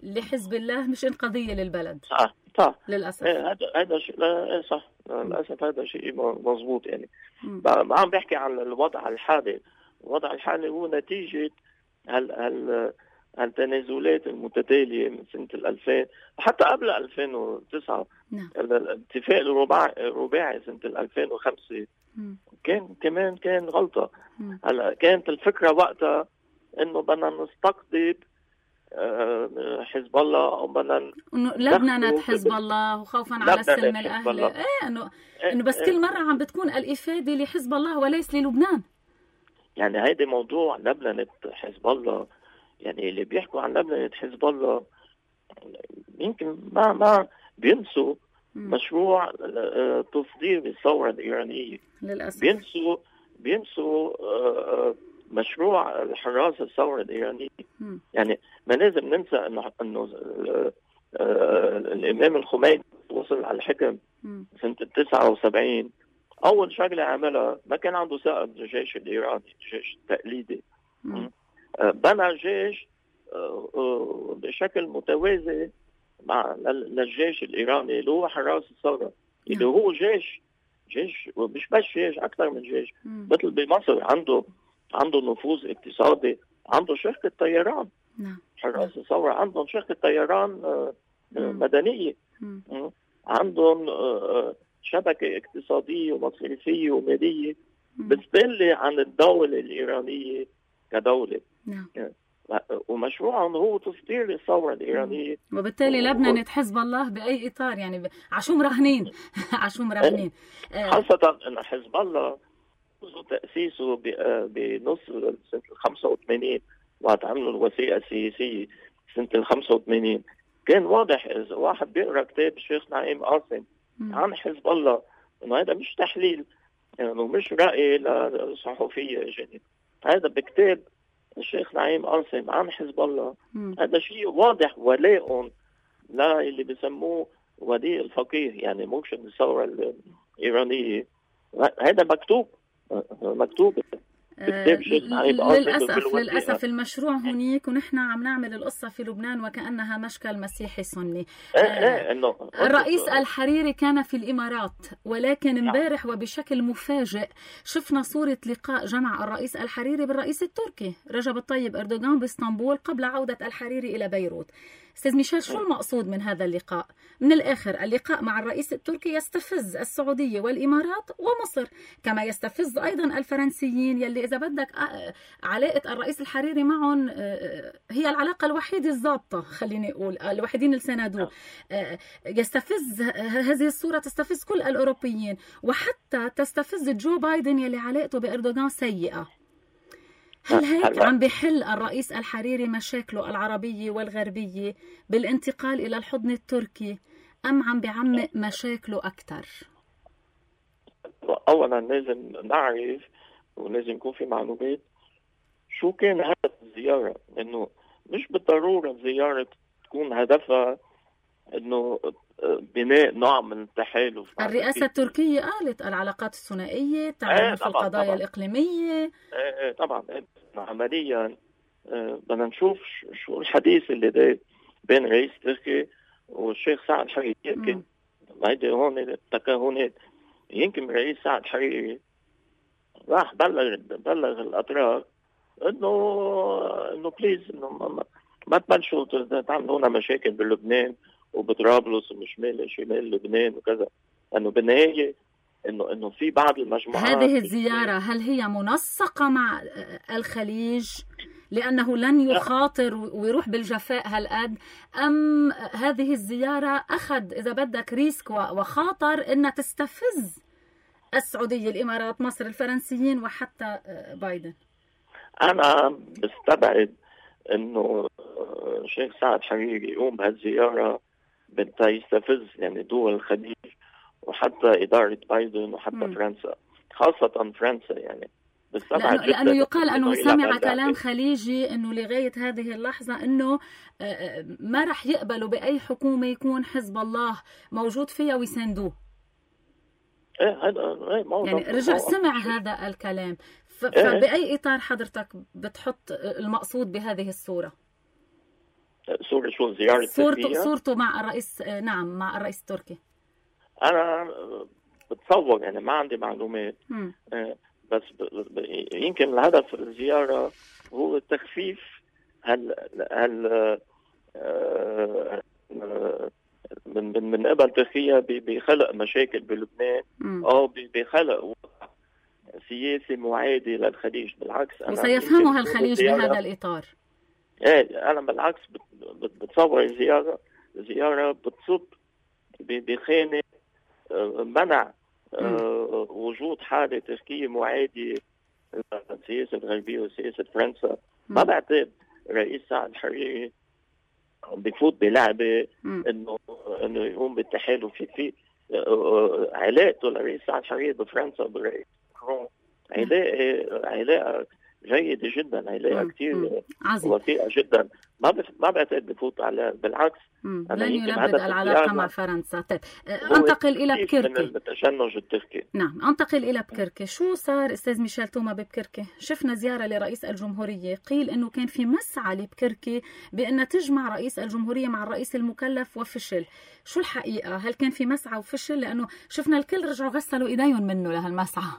لحزب الله مش انقاذيه للبلد. صح للاسف. هذا شيء صح للاسف، هذا شيء مضبوط يعني. عم بحكي عن الوضع الحالي. الوضع الحالي هو نتيجه التنازلات المتتاليه من سنه 2000 حتى قبل 2009. الاتفاق الرباعي سنه 2005 كان غلطه. هلا كانت الفكره وقتها انه بدنا نستقطب حزب الله او بدنا لبنان حزب الله وخوفا على السلم الاهلي. انه بس كل مره عم بتكون الافاده لحزب الله وليس للبنان. يعني هيدي موضوع لبنان حزب الله، يعني اللي بيحكوا عن لبنان حزب الله يمكن ما بينسوا مشروع تصدير الثوره الايرانيه للاسف. بينسوا مشروع الحراسه الثوره الايرانيه. يعني ما لازم ننسى انه الامام الخميني وصل على الحكم سنه 79. اول شغله عملها ما كان عنده ثقه بالجيش الايراني، الجيش التقليدي. بنى جيش بشكل متوازي مع للجيش الايراني اللي هو حراس الثوره، اللي هو جيش مش بس جيش، اكثر من جيش. مثل بمصر عنده نفوذ اقتصادي، عنده شركه طيران. حراس الثوره عندهم شركه طيران مدنيه، عندهم شبكه اقتصاديه ومصرفيه وماليه بتدل عن الدوله الايرانيه كدوله. ومشروعهم هو تصدير الثوره الايرانيه. وبالتالي لبنان حزب الله باي اطار يعني عشو مراهنين عشو مراهنين. خاصه ان حزب الله منذ تاسيسه بنص سنه 85 وقت عملوا الوثيقه السياسيه سنه 85 كان واضح. اذا واحد بيقرا كتاب الشيخ نعيم قاسم عن حزب الله انه هذا مش تحليل، انه مش راي لصحفيه جديد، هذا بكتاب الشيخ نعيم قاسم عن حزب الله. هذا شيء واضح ولاء لا اللي بسموه وديع الفقيه، يعني مرشد الثوره الايرانيه. هذا مكتوب للأسف المشروع هنيك ونحن عم نعمل القصة في لبنان وكأنها مشكل مسيحي سني. الرئيس الحريري كان في الإمارات، ولكن امبارح وبشكل مفاجئ شفنا صورة لقاء جمع الرئيس الحريري بالرئيس التركي رجب الطيب أردوغان باسطنبول قبل عودة الحريري إلى بيروت. أستاذ ميشيل، شو المقصود من هذا اللقاء؟ من الآخر اللقاء مع الرئيس التركي يستفز السعودية والإمارات ومصر، كما يستفز أيضا الفرنسيين يلي إذا بدك علاقة الرئيس الحريري معهم هي العلاقة الوحيدة الضابطة، خليني أقول الوحيدين اللي ساندوه. يستفز هذه الصورة، تستفز كل الأوروبيين وحتى تستفز جو بايدن يلي علاقته بأردوغان سيئة. هل هيك عم بحل الرئيس الحريري مشاكله العربية والغربية بالانتقال إلى الحضن التركي، أم عم بعمق مشاكله أكثر؟ أولا لازم نعرف ولازم يكون في معلومات شو كان هدف الزيارة. إنه مش بالضرورة الزيارة تكون هدفها إنه بناء نوع من التحالف. الرئاسة التركية قالت العلاقات الثنائية تعمل في القضايا طبعاً. الإقليمية طبعا عمليا بدنا نشوف شو الحديث اللي ده بين رئيس تركيا والشيخ سعد حريري. يمكن هيدي هون تكهنات. يمكن الرئيس سعد حريري راح بلغ الأطراف إنه بليز إنه ما تبلشوا تعملوا لنا مشاكل بلبنان وبطرابلس وشمال لبنان وكذا. انه بالنهايه انه في بعض المجموعات. هذه الزياره هل هي منسقه مع الخليج؟ لأنه لن يخاطر ويروح بالجفاء هالقد، أم هذه الزيارة أخذ إذا بدك ريسك وخاطر إنها تستفز السعودية، الإمارات، مصر، الفرنسيين وحتى بايدن؟ أنا بستبعد إنه الشيخ سعد حريري يقوم بهالزيارة بدها يستفز يعني دول الخليج وحتى إدارة بايدن وحتى فرنسا، خاصة فرنسا. يعني لأنه يقال أنه سمع كلام خليجي أنه لغاية هذه اللحظة أنه ما رح يقبلوا بأي حكومة يكون حزب الله موجود فيها ويساندوه. يعني رجع سمع هذا الكلام. فبأي إطار حضرتك بتحط المقصود بهذه الصورة؟ صورة شو؟ زيارة صورته مع الرئيس، نعم مع الرئيس التركي. أنا بتصور يعني ما عندي معلومات، بس يمكن الهدف الزيارة هو تخفيف من قبل تركيا بخلق مشاكل بلبنان أو بخلق وضع سياسي معادي للخليج. بالعكس وسيفهمها الخليج بهذا الإطار. أنا بالعكس بتصور زيارة بتصب بخانة منع وجود حالة تركية معادية للسياسة الغربية وسياسة فرنسا. ما بعتقد رئيس سعد الحريري بفوت بلعبة انه يقوم بالتحالف في علاقته لرئيس سعد الحريري بفرنسا بالرئيس ماكرون علاقة جيدة جدا، علاقة كتير وثيقة جدا. ما بعتقد بفوت على، بالعكس لن يلبد العلاقة مع فرنسا. طيب انتقل إلى بكركي من التشنج التركي. نعم، انتقل إلى بكركي. شو صار أستاذ ميشيل توما ببكركي؟ شفنا زيارة لرئيس الجمهورية، قيل إنه كان في مسعى لبكركي بأن تجمع رئيس الجمهورية مع الرئيس المكلف وفشل. شو الحقيقة؟ هل كان في مسعى وفشل؟ لأنه شفنا الكل رجعوا غسلوا إيديهم منه لهالمسعى.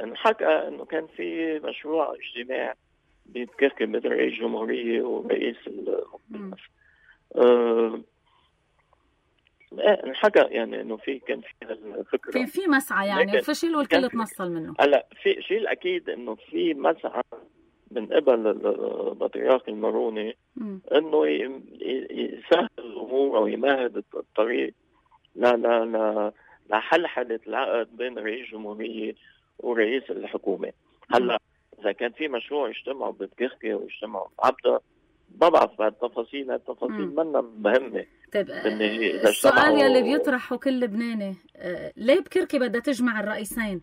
انحكى انه كان في مشروع اجتماع ببكركي بين رئيس الجمهورية ورئيس المكلف. انحكى يعني انه كان في الفكرة في مسعى يعني فشل والكل تنصل منه. هلا في شيء الاكيد انه في مسعى من قبل البطريرك الماروني انه يسهل الامور او يمهد الطريق لحلحلة العقد بين رئيس الجمهورية ورئيس الحكومة. هلا إذا كان في مشروع يجتمعوا ببكركي ويجتمعوا بعبدة، ما بعرف التفاصيل منا مهمة. طيب السؤال يلي بيطرحه كل لبناني، ليه بكركي بدها تجمع الرئيسين؟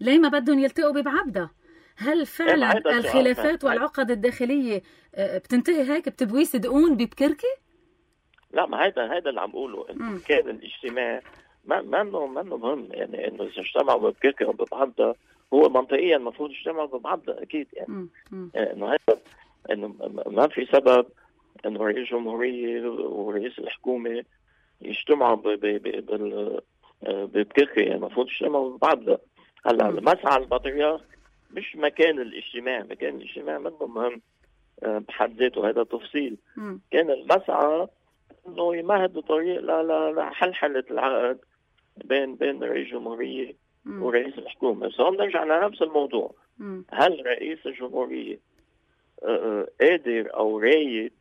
ليه ما بدهم يلتقوا ببعبدة؟ هل فعلا الخلافات والعقد الداخلية بتنتهي هيك بتبويس دقون ببكركي؟ لا، ما هيدا اللي عم بقوله. كان الاجتماع ما انه مهم، يعني انه اذا اجتمعوا ببكركي او ببعبدة هو منطقيا المفروض يجتمعوا ببعبدة اكيد. يعني انه هذا انه ما في سبب انه رئيس الجمهورية ورئيس الحكومة يجتمعوا ببكركي، يعني المفروض يجتمعوا ببعبدة. هلا مسعى البطريرك مش مكان الاجتماع منه مهم بحد ذاته، هذا تفصيل. كان المسعى انه يمهد طريق لحلحلة العقد بين رئيس الجمهورية ورئيس الحكومة. بس هون نرجع لنفس الموضوع. هل رئيس الجمهورية قادر او رايد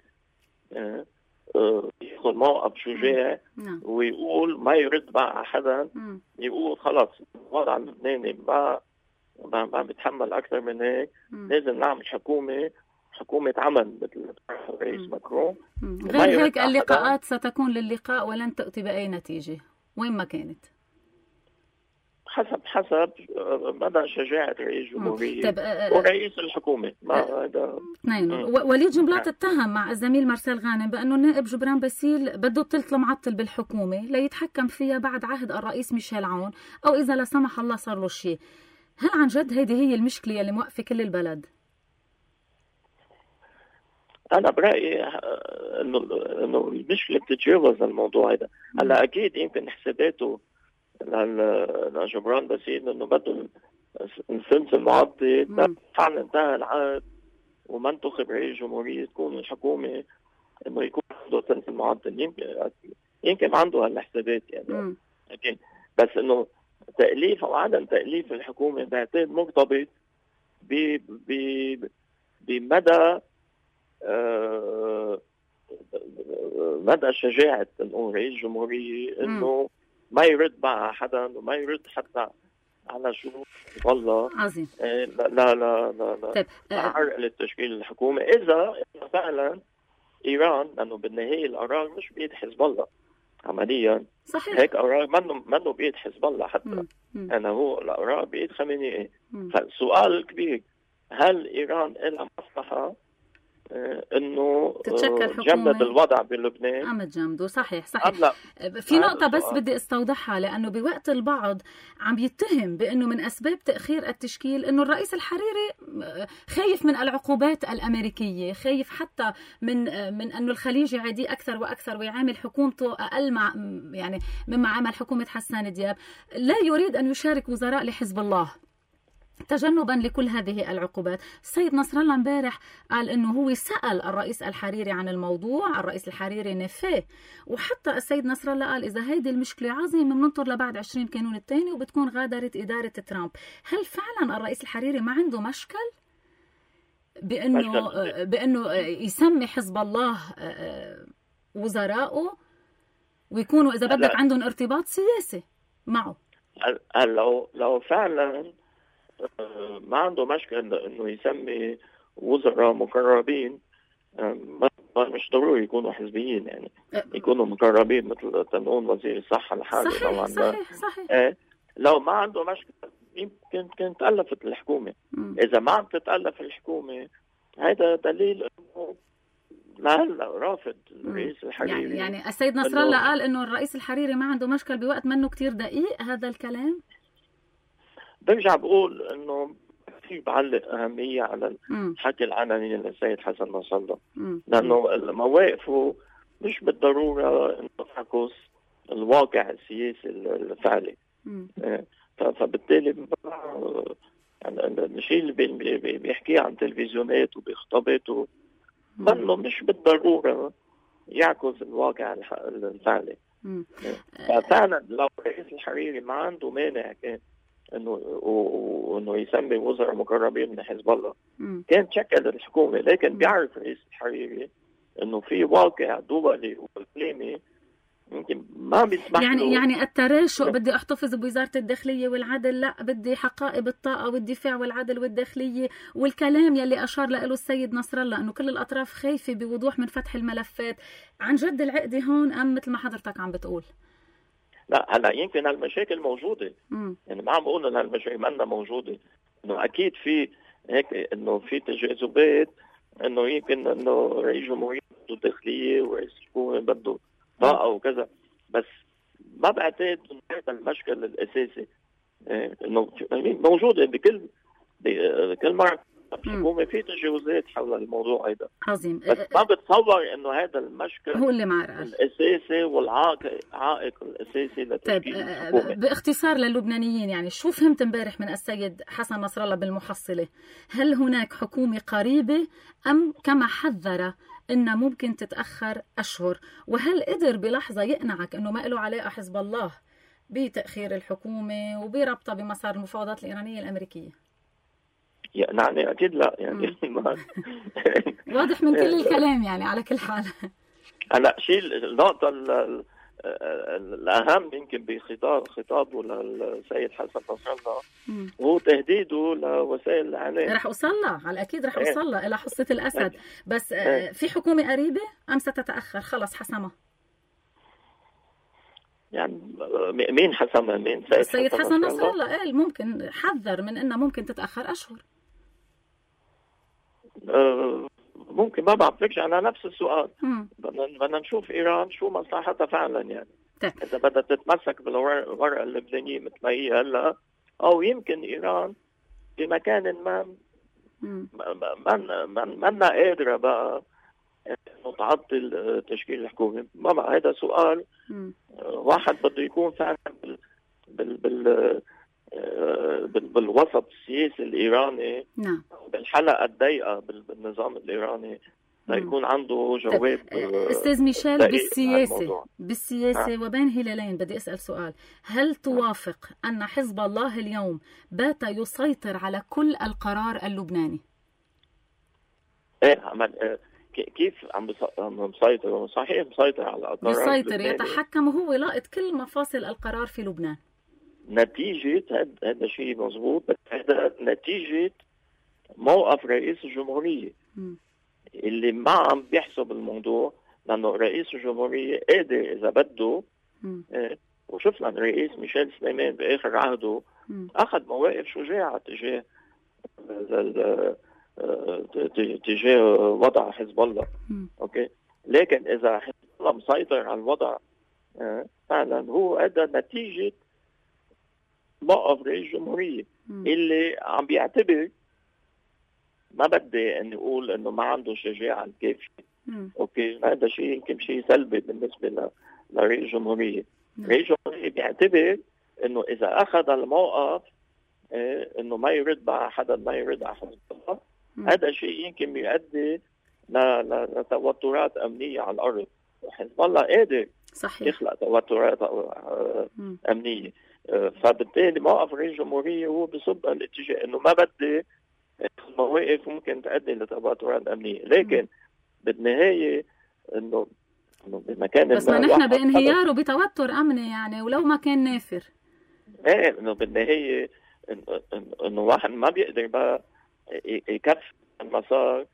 ياخذ موقف شجاع ويقول ما يرد بقى حدا، يقول خلص الوضع اللبناني ما بيتحمل اكثر من هيك، لازم نعمل حكومة عمل مثل الرئيس ماكرون. غير هيك اللقاءات ستكون للقاء ولن تأتي بأي نتيجة وين ما كانت، حسب مدى شجاعة رئيس الجمهورية ورئيس الحكومة. هذا اثنين. وليد جنبلاط اتهم مع الزميل مارسيل غانم بأنه النائب جبران باسيل بده الثلث المعطل بالحكومة ليتحكم فيها بعد عهد الرئيس ميشيل عون، أو إذا لا سمح الله صار له شيء. هل عن جد هيدي هي المشكلة اللي موقفة كل البلد؟ أنا برأيي إنه المشكلة بتتجاوز الموضوع هذا. هلا أكيد يمكن حساباته لجبران باسيل إنه بده الثلث المعطل، فعلا انتهى العقد وما انتخب رئيس جمهورية تكون الحكومة إنه يكون عنده ثلث المعطل. يمكن عنده هالحسابات يعني. أكيد، بس إنه تأليف أو عدم تأليف الحكومة بعتقد مرتبط بمدى مدى شجاعة نقول رئيس الجمهورية انه ما يرد مع حدا وما يرد حتى على شروط والله عظيم. لا عرقلة تشكيل الحكومة إذا فعلا إيران، لأنه بالنهاية القرار مش بيد حزب الله عمليا. صحيح. هيك قرار منه بيد حزب الله حتى. أنا هو القرار بيد خامنئي. فالسؤال الكبير، هل إيران لها مصلحة انه جمد الوضع بلبنان عم تجمده؟ صحيح. في نقطة بس بدي استوضحها، لأنه بوقت البعض عم يتهم بأنه من أسباب تأخير التشكيل أنه الرئيس الحريري خايف من العقوبات الأمريكية، خايف حتى من أنه الخليج يعادي أكثر وأكثر ويعامل حكومته أقل يعني مما عمل حكومة حسان دياب، لا يريد أن يشارك وزراء لحزب الله تجنبا لكل هذه العقوبات. السيد نصر الله امبارح قال انه هو سأل الرئيس الحريري عن الموضوع، الرئيس الحريري نفاه، وحتى السيد نصر الله قال اذا هيدي المشكله عظيمه بننطر لبعد 20 كانون الثاني وبتكون غادرت اداره ترامب. هل فعلا الرئيس الحريري ما عنده مشكل بانه يسمي حزب الله وزراءه ويكونوا اذا بدك عندهم ارتباط سياسي معه؟ لو فعلا ما عنده مشكلة انه يسمي وزراء مقربين، مش ضروري يكونوا حزبيين، يعني يكونوا مقربين مثل تنقول وزير الصحة الحالي. صحيح. لو ما عنده مشكلة يمكن كانت تألفت الحكومة. إذا ما عم تتألف الحكومة هذا دليل انه لهلا رافض الرئيس الحريري. يعني السيد نصر الله قال انه الرئيس الحريري ما عنده مشكل بوقت منه كتير دقيق هذا الكلام. برجع بقول انه كثير بعلق اهميه على الحكي العلني للسيد حسن نصر الله، لانه مواقفه مش بالضروره انه تعكس الواقع السياسي الفعلي. فبالتالي يعني الشيء اللي بيحكيه عن تلفزيونات وبخطاباته منه مش بالضروره يعكس الواقع الفعلي. ففعلا لو الرئيس الحريري ما عنده مانع كان انه يسمي وزراء مقربين من حزب الله كان شكل الحكومه، لكن بيعرف الرئيس الحريري انه في واقع دولي واقليمي يمكن ما بيسمح له. يعني التراشق بدي احتفظ بوزاره الداخليه والعدل، لا بدي حقائب الطاقه والدفاع والعدل والداخليه، والكلام يلي اشار له السيد نصر الله انه كل الاطراف خايفه بوضوح من فتح الملفات. عن جد العقده هون ام مثل ما حضرتك عم بتقول؟ لا هلا يمكن هالمشاكل موجوده، يعني ما عم بقول ان هالمشاكل ما موجوده، انه اكيد في هيك انه في تجاذبات، انه يمكن انه رئيس جمهورية بده داخليه ورئيس الحكومه بده طاقه وكذا، بس ما بعتقد انه هذا المشكل الاساسي. انه موجوده بكل مره الحكومه في تجاوزات حول الموضوع هذا. عظيم. بس ما بتصور انه هذا المشكل هو اللي معرقل الاساسي والعائق الاساسي لتشكيل الحكومه. باختصار للبنانيين، يعني شو فهمت امبارح من السيد حسن نصر الله بالمحصله؟ هل هناك حكومه قريبه ام كما حذر إنها ممكن تتأخر أشهر؟ وهل قدر بلحظة يقنعك إنه ما له علاقة حزب الله بتأخير الحكومة وبربطها بمسار المفاوضات الإيرانية الأمريكية؟ يعني أكيد لا، يعني واضح من كل الكلام. يعني على كل حال هلا شيء النقطة الأهم يمكن بخطابه للسيد حسن نصر الله هو تهديده لوسائل الإعلام. رح أوصلها على أكيد، رح أوصلها إلى حصة الأسد. بس في حكومة قريبة أم ستتأخر؟ خلص حسمها. يعني مين حسمها؟ مين؟ السيد حسن نصر الله قال ممكن، حذر من إنها ممكن تتأخر أشهر. ممكن، ما بعرف، نرجع على نفس السؤال. بدنا نشوف إيران شو مصلحتها فعلا، يعني إذا بدها تتمسك بالورقة اللبنانية مثل ما هي هلا، أو يمكن إيران بمكان ما قادرة بقى تعطل تشكيل الحكومة. ما هذا سؤال واحد بده يكون فعلا بالوسط السياسي الإيراني، بالحلقة الضيقة بالنظام الإيراني، ليكون عنده جواب. أستاذ ميشيل، بالسياسة وبين هلالين بدي أسأل سؤال: هل توافق أن حزب الله اليوم بات يسيطر على كل القرار اللبناني؟ ايه عمل كيف عم مسيطر؟ صحيح مسيطر على القرار، بيسيطر، يتحكم، وهو لاقط كل مفاصل القرار في لبنان. نتيجة هذا شيء مضبوط، بس هذا نتيجة موقف رئيس الجمهورية اللي ما عم بيحسب الموضوع، لأنه رئيس الجمهورية قادر إذا بده. وشفنا الرئيس ميشيل سليمان بآخر عهده أخذ مواقف شجاعة تجاه وضع حزب الله. أوكي، لكن إذا حزب الله مسيطر على الوضع فعلا هو هذا نتيجة موقف رئيس الجمهورية اللي عم بيعتبر، ما بدي أن أقول أنه ما عنده شجاعة الكافية. أوكي، هذا شيء يمكن شيء سلبي بالنسبة لرئيس الجمهورية. رئيس الجمهورية بيعتبر أنه إذا أخذ الموقف أنه ما يرد على حدا، ما يرد على حزب الله، هذا شيء يمكن يؤدي لتوترات أمنية على الأرض. وحزب الله قادر يخلق توترات أمنية. فبالتالي موقف رئيس الجمهورية هو بصب الاتجاه أنه ما بدي مواقف ممكن تؤدي لتوترات أمنية، لكن بالنهاية أنه بمكان بس ما نحن بانهيار وبتوتر أمني يعني، ولو ما كان نافر. ايه، انه بالنهاية انه واحد ما بيقدر بقى يكفي المسار،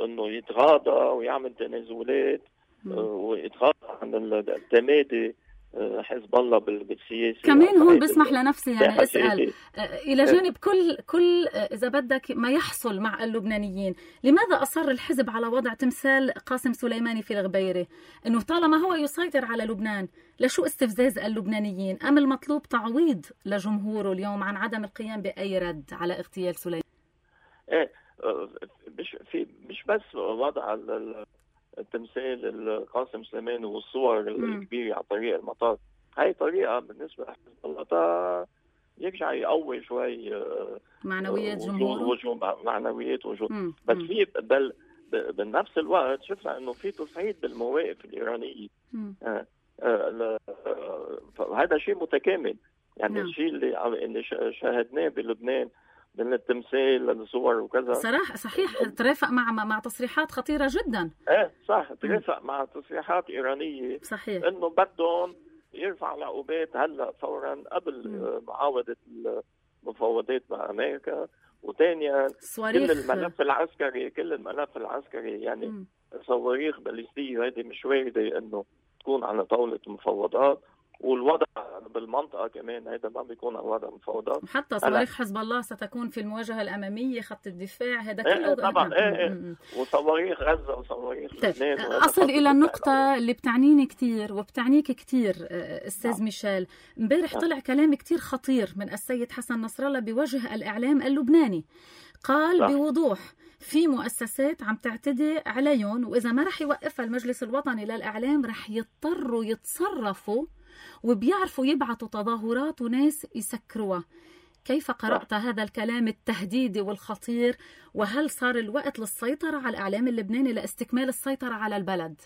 انه يتغاضى ويعمل تنازلات ويتغاضى عن التمادي حزب الله بالسياسة. كمان هون بسمح لنفسي يعني اسأل إلى جانب كل إذا بدك ما يحصل مع اللبنانيين، لماذا أصر الحزب على وضع تمثال قاسم سليماني في الغبيرة؟ إنه طالما هو يسيطر على لبنان، لشو استفزاز اللبنانيين؟ أم المطلوب تعويض لجمهوره اليوم عن عدم القيام بأي رد على اغتيال سليماني؟ إيه، مش بس وضع التمثال القاسم سليماني والصور الكبيرة على طريق المطار. هاي طريقة بالنسبة لحزب الله يرجع يقوي شوي معنويات جمهوره، معنويات وجود. بس في بنفس الوقت شفنا انه في تصعيد بالمواقف الإيرانية. هذا شيء متكامل يعني. الشيء اللي شاهدناه بلبنان من التمثال للصور وكذا صحيح ترافق مع تصريحات خطيرة جدا. صح، ترافق مع تصريحات إيرانية صحيح انه بدهم يرفع العقوبات هلا فورا قبل معاودة المفاوضات مع امريكا. وثانيا كل الملف العسكري يعني صواريخ باليستية هذه مش واردة انه تكون على طاولة المفاوضات. والوضع بالمنطقة كمان هذا ما بيكون على وضع مفاوضات. حتى صواريخ حزب الله ستكون في المواجهة الأمامية، خط الدفاع، هذا كله طبعا. وصواريخ غزة وصواريخ لبنان. أصل إلى النقطة اللي بتعنيني كتير وبتعنيك كتير أستاذ ميشيل. امبارح طلع كلام كتير خطير من السيد حسن نصر الله بوجه الإعلام اللبناني. قال بوضوح في مؤسسات عم تعتدي عليهم، وإذا ما رح يوقفها المجلس الوطني للإعلام رح يضطروا يتصرفوا وبيعرفوا يبعثوا تظاهرات وناس يسكروها. كيف قرأت هذا الكلام التهديدي والخطير؟ وهل صار الوقت للسيطرة على الإعلام اللبناني لاستكمال السيطرة على البلد؟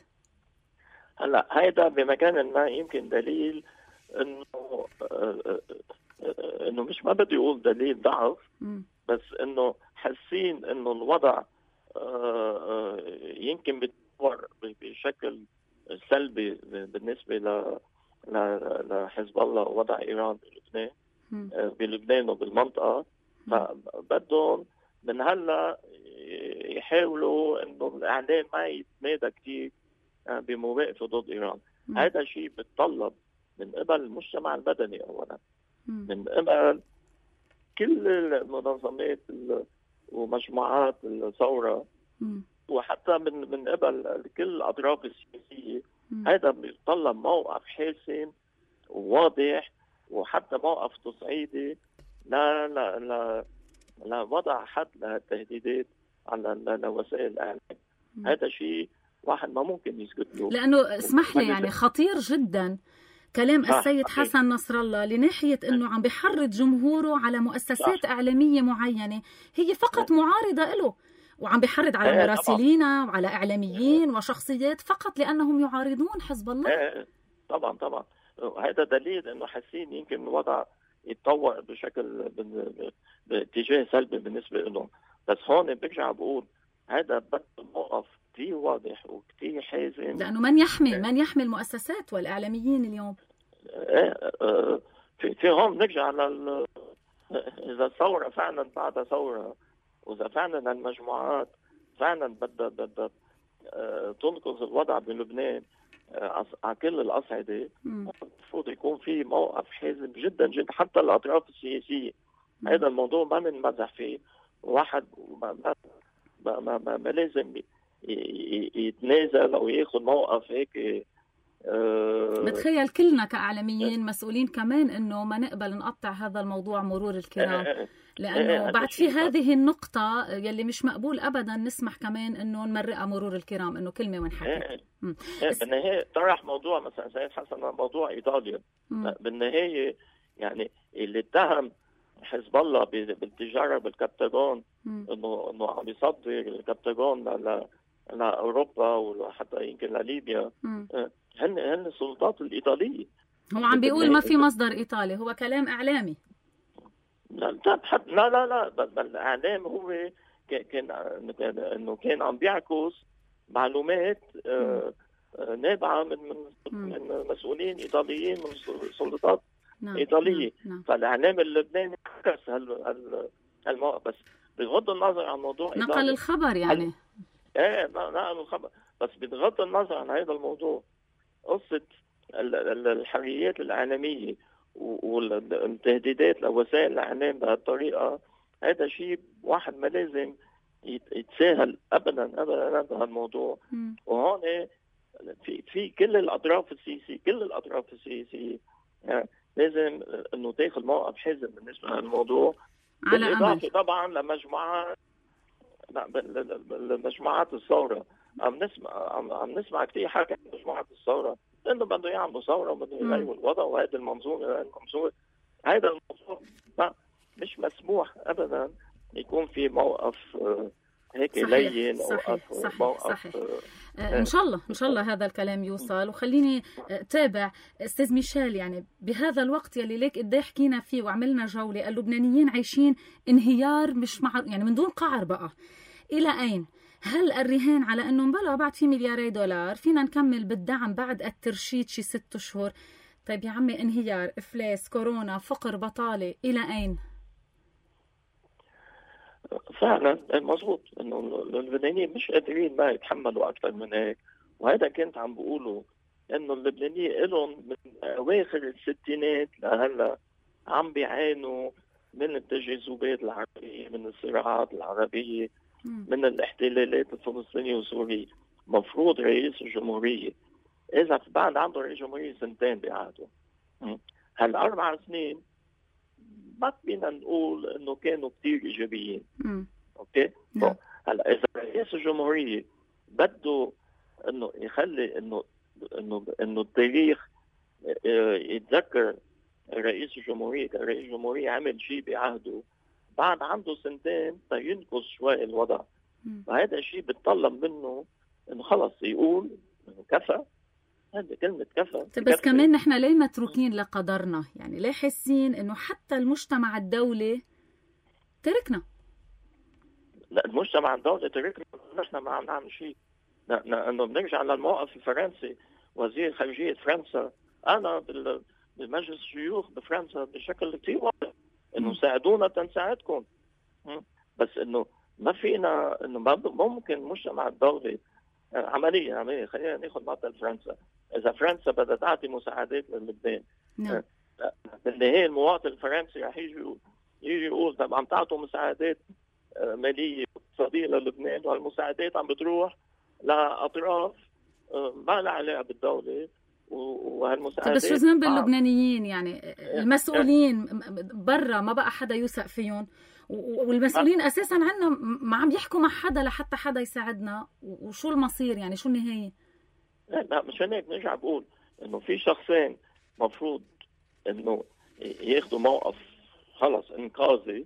هلا هيدا بمكان ما يمكن دليل انه مش ما بدي اقول دليل ضعف، بس انه حاسين انه الوضع يمكن بيتطور بشكل سلبي بالنسبة لحزب الله ووضع إيران بلبنان وبالمنطقة. فبدهم من هلا يحاولوا انه الإعلام ما يتمادى كتير بمواقفه ضد إيران. هذا شيء بتطلب من قبل المجتمع المدني أولا، من قبل كل المنظمات ومجموعات الثورة، وحتى من قبل كل الأطراف السياسية. هذا بيتطلب موقف حاسم وواضح، وحتى موقف تصعيدي لوضع حد للتهديدات على وسائل الإعلام. هذا شيء واحد ما ممكن يسكت له، لأنه اسمح لي يعني خطير جدا كلام السيد حسن نصر الله لناحية أنه عم بيحرض جمهوره على مؤسسات إعلامية معينة هي فقط معارضة له، وعم بيحرض على مراسلين وعلى إعلاميين وشخصيات فقط لأنهم يعارضون حزب الله. طبعا هذا دليل أنه حاسين يمكن الوضع يتطور بشكل باتجاه سلبي بالنسبة لهم. بس هون برجع بقول هذا بده موقف كتير واضح وكتير حازم، لأنه من يحمي المؤسسات والإعلاميين اليوم. في هون نرجع إذا الثورة فعلا بعد ثورة، وإذا فعلا المجموعات فعلا بدها تنقذ الوضع بلبنان على كل الأصعدة، المفروض يكون في موقف حازم جدا جدا حتى الأطراف السياسية. هذا الموضوع ما نمزح فيه، واحد ما لازم يتنازل أو ياخذ موقف هيك. بتخيل كلنا كإعلاميين مسؤولين كمان إنه ما نقبل نقطع هذا الموضوع مرور الكرام، لأنه بعد في هذه النقطة يلي مش مقبول أبدا نسمح كمان إنه نمرقها مرور الكرام، إنه كلمة ونحكي. بالنهاية طرح موضوع مثلا سيد حسن موضوع إيطاليا، بالنهاية يعني اللي اتهم حزب الله بالتجارة بالكبتاغون إنه عم يصدر الكبتاغون لأوروبا وحتى يمكن لليبيا، هن السلطات الإيطالية. هو عم بيقول ما في مصدر إيطالي، هو كلام إعلامي. لا بل الإعلام هو كان عم بيعكس معلومات نابعة من مسؤولين إيطاليين، من سلطات إيطالية. فالإعلام اللبناني عكس هالموقف، بس بغض النظر عن موضوع نقل الخبر يعني. نقل الخبر، بس بغض النظر عن هذا الموضوع، قصة الحريات الإعلامية والتهديدات لوسائل الإعلام بهالطريقة، هذا شيء واحد ما لازم يتساهل أبدا بهالموضوع. وهون في كل الأطراف السياسية لازم إنه تاخذ موقف حازم بالنسبة لهالموضوع، بالإضافة طبعا لمجموعات الثورة. عم نسمع كتير حكي عن مجموعات الثورة لأنه بده يعملوا ثورة وبده يغيروا الوضع، وهذا المنظور هذا الموضوع مش مسموح أبدا يكون في موقف هيك لين. صحيح. إن شاء الله هذا الكلام يوصل. وخليني تابع أستاذ ميشيل، يعني بهذا الوقت يلي ليك قد حكينا فيه وعملنا جولة، اللبنانيين عايشين انهيار مش يعني من دون قعر بقى. إلى أين؟ هل الرهان على أنه مبلغ بعد في ملياري دولار فينا نكمل بالدعم بعد الترشيد شي 6 أشهر؟ طيب يا عمي، انهيار، إفلاس، كورونا، فقر، بطالة، إلى أين؟ فعلا مظبوط انه اللبنانيين مش قادرين ما يتحملوا اكثر من هيك، وهذا كنت عم بقوله انه اللبنانيين لهم من اواخر الستينات لهلا عم بيعانوا من التجاذبات العربيه، من الصراعات العربيه، من الاحتلالات الفلسطينيه وسوريا. مفروض رئيس الجمهوريه اذا بعد عنده رئيس جمهوريه 2 سنين بعهده، هال4 سنين ما فينا نقول انه كانوا كتير ايجابيين. اوكي، هلا اذا رئيس الجمهوريه بده انه يخلي انه التاريخ يتذكر رئيس الجمهوريه كرئيس الجمهوريه عمل شيء بعهده، بعد عنده 2 سنين ينقص شوي الوضع. فهذا الشيء بتطلب منه انه خلص يقول انه كفى. هذه كلمة كفى. بس كمان نحن ليه متروكين لقدرنا؟ يعني ليه حاسين انه حتى المجتمع الدولي تركنا؟ لا، المجتمع الدولي تركنا، نحن ما عم نعمل شيء. انه بنرجع للموقف الفرنسي، وزير خارجية فرنسا انا بمجلس الشيوخ بفرنسا بشكل كثير واضح انه ساعدونا تنساعدكم، بس انه ما فينا، انه ممكن المجتمع الدولي عملية خلينا ناخذ مثل فرنسا. إذا فرنسا بدها تعطي مساعدات للبنان، بالنهاية المواطن الفرنسي رح يجي يقول طب عم تعطوا مساعدات مالية اقتصادية للبنان، والمساعدات عم بتروح لأطراف ما لها علاقة بالدولة، وهالمساعدات. بس شو ذنب اللبنانيين؟ يعني المسؤولين برا ما بقى حدا يوثق فيهم، والمسؤولين أساساً عنا ما عم يحكوا مع حدا لحتى حدا يساعدنا. وشو المصير يعني؟ شو النهاية؟ لا مشان هيك نرجع بقول إنه في شخصين مفروض إنه ياخدوا موقف في انقاذي،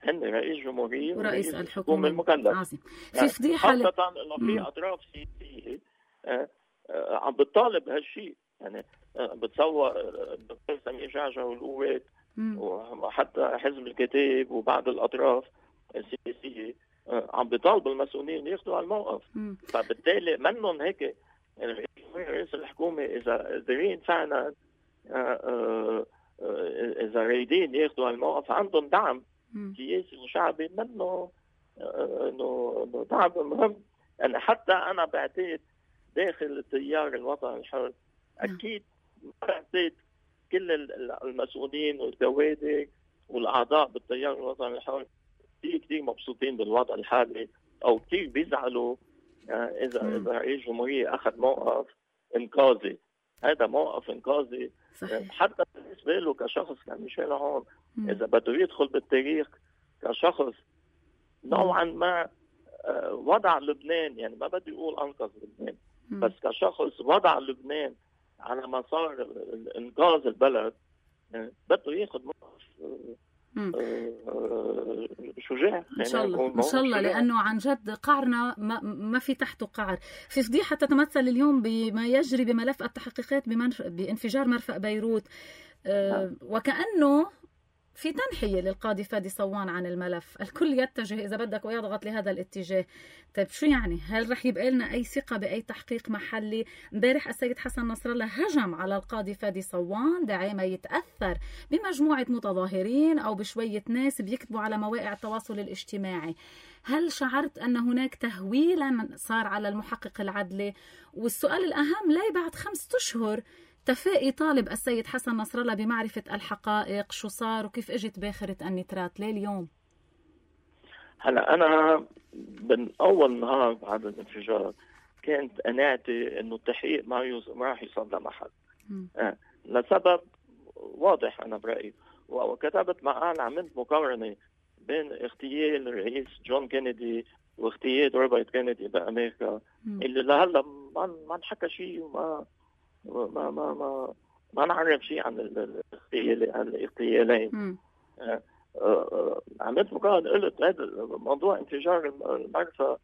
هن رئيس جمهورية ورئيس الحكومة المكلف. عظيم. في فضيحة خاصة إنه في أطراف سياسية عم بتطالب هالشيء. يعني بتصور الدكتور سمير جعجع والقوات وحتى حزب الكتاب وبعض الأطراف السياسية عم بيطالبوا المسؤولين ياخذوا على الموقف. فبالتالي منهم هيك يعني رئيس الحكومة إذا قادرين فعلا إذا رايدين ياخذوا على الموقف عندهم دعم سياسي وشعبي منه إنه دعم مهم. يعني حتى أنا بعتقد داخل التيار الوطني الحر أكيد بعتقد كل المسؤولين والكوادر والأعضاء بالتيار الوطني الحر كثير مبسوطين بالوضع الحالي، أو كثير بيزعلوا إذا رئيس الجمهورية أخذ موقف إنقاذي. هذا موقف إنقاذي حتى بالنسبة له كشخص كميشيل عون، إذا بده يدخل بالتاريخ كشخص نوعا ما وضع لبنان، يعني ما بدي أقول أنقذ لبنان، بس كشخص وضع لبنان على مسار إنقاذ البلد، بده ياخذ موقف شجاع. إن شاء الله إن شاء الله، لأنه عن جد قعرنا ما في تحته قعر. في فضيحة تتمثل اليوم بما يجري بملف التحقيقات بانفجار مرفأ بيروت، وكأنه في تنحية للقاضي فادي صوان عن الملف. الكل يتجه إذا بدك ويضغط لهذا الاتجاه. طيب شو يعني؟ هل رح يبقى لنا أي ثقة بأي تحقيق محلي؟ امبارح السيد حسن نصر الله هجم على القاضي فادي صوان دعي ما يتأثر بمجموعة متظاهرين أو بشوية ناس بيكتبوا على مواقع التواصل الاجتماعي. هل شعرت أن هناك تهويلا صار على المحقق العدلي؟ والسؤال الأهم، ليه بعد 5 أشهر تفائي طالب السيد حسن نصر الله بمعرفة الحقائق؟ شو صار وكيف اجت باخرة النترات؟ ليه اليوم؟ هلا أنا من أول نهار بعد الانفجار كانت قناعتي إنه التحقيق ما راح يوصل لمحل، لسبب واضح أنا برأيي. وكتبت مقال عملت مقارنة بين اغتيال الرئيس جون كينيدي واغتيال روبرت كينيدي بأمريكا، اللي لهلا ما نحكى شيء وما ما ما ما ما نعرف شيء عن الاغتيالين. عملت مقارنة، قلت هذا موضوع انفجار المرفأ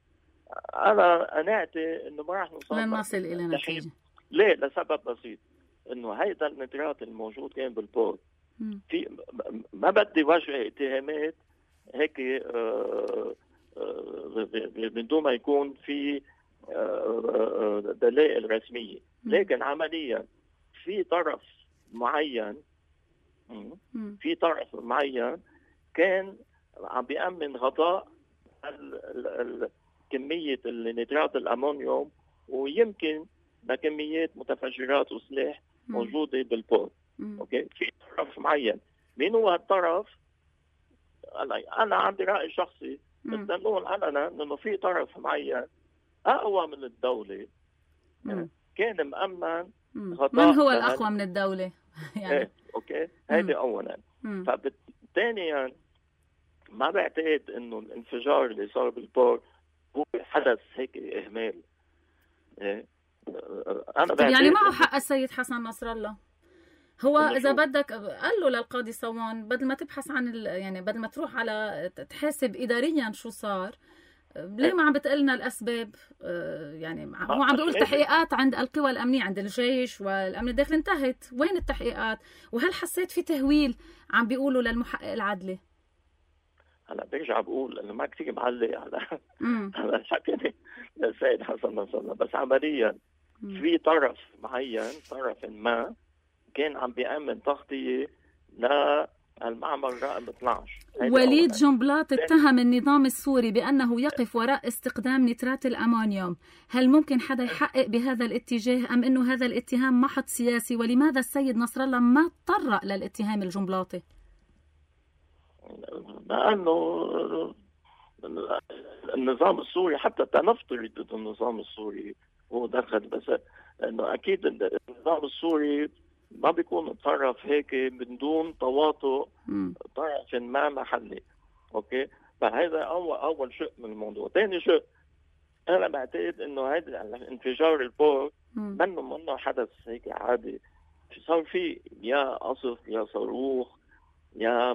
أنا قناعتي إنه ما راح نصل إلى نتيجة. ليه؟ لسبب بسيط، إنه هيدا النترات الموجود كان بالبور في ما بدي وجه اتهامات هيك من دون ما يكون في دلائل رسمية، لكن عمليا في طرف معين كان عم بيأمن غطاء كمية النترات الأمونيوم ويمكن بكميات متفجرات وسلاح موجودة بالبور. أوكي، في طرف معين. مين هو هالطرف؟ أنا عندي رأي شخصي، بس نقول علنا إنه في طرف معين أقوى من الدولة كان مأمن غطاء. من هو الأقوى من الدولة؟ يعني أوكي، هذه أولا. ثانيا ما بعتقد إنه الانفجار اللي صار بالبور هو حدث هيك إهمال. أنا يعني معه حق السيد حسن نصر الله. هو إذا بدك قال له للقاضي صوان بدل ما تبحث عن يعني بدل ما تروح على تحاسب إداريا شو صار، ليه ما عم بتقلنا الأسباب؟ يعني هو عم بيقول تحقيقات عند القوى الأمنية، عند الجيش والأمن الداخلي انتهت. وين التحقيقات؟ وهل حسيت في تهويل عم بيقولوا للمحقق العدلي؟ هلا برجع بقول انه ما كثير معلق على حكيني للسيد حسن نصر الله، بس عمليا في طرف معين، طرف ما كان عم بيأمن تغطية للمعمل رقم 12. وليد جنبلاط اتهم النظام السوري بأنه يقف وراء استخدام نترات الأمونيوم. هل ممكن حدا يحقق بهذا الاتجاه أم أنه هذا الاتهام محض سياسي؟ ولماذا السيد نصر الله ما تطرق للاتهام الجنبلاطي؟ لأنه النظام السوري حتى تنفترض النظام السوري هو دخل، بس انه اكيد النظام السوري ما بيكون طرف هيك من دون تواطؤ طرف ما محلي. اوكي، فهذا اول شيء من الموضوع. ثاني شيء، انا بعتقد انه هذا انفجار البور منه حدث هيك عادي. صار في يا قصف يا صاروخ يا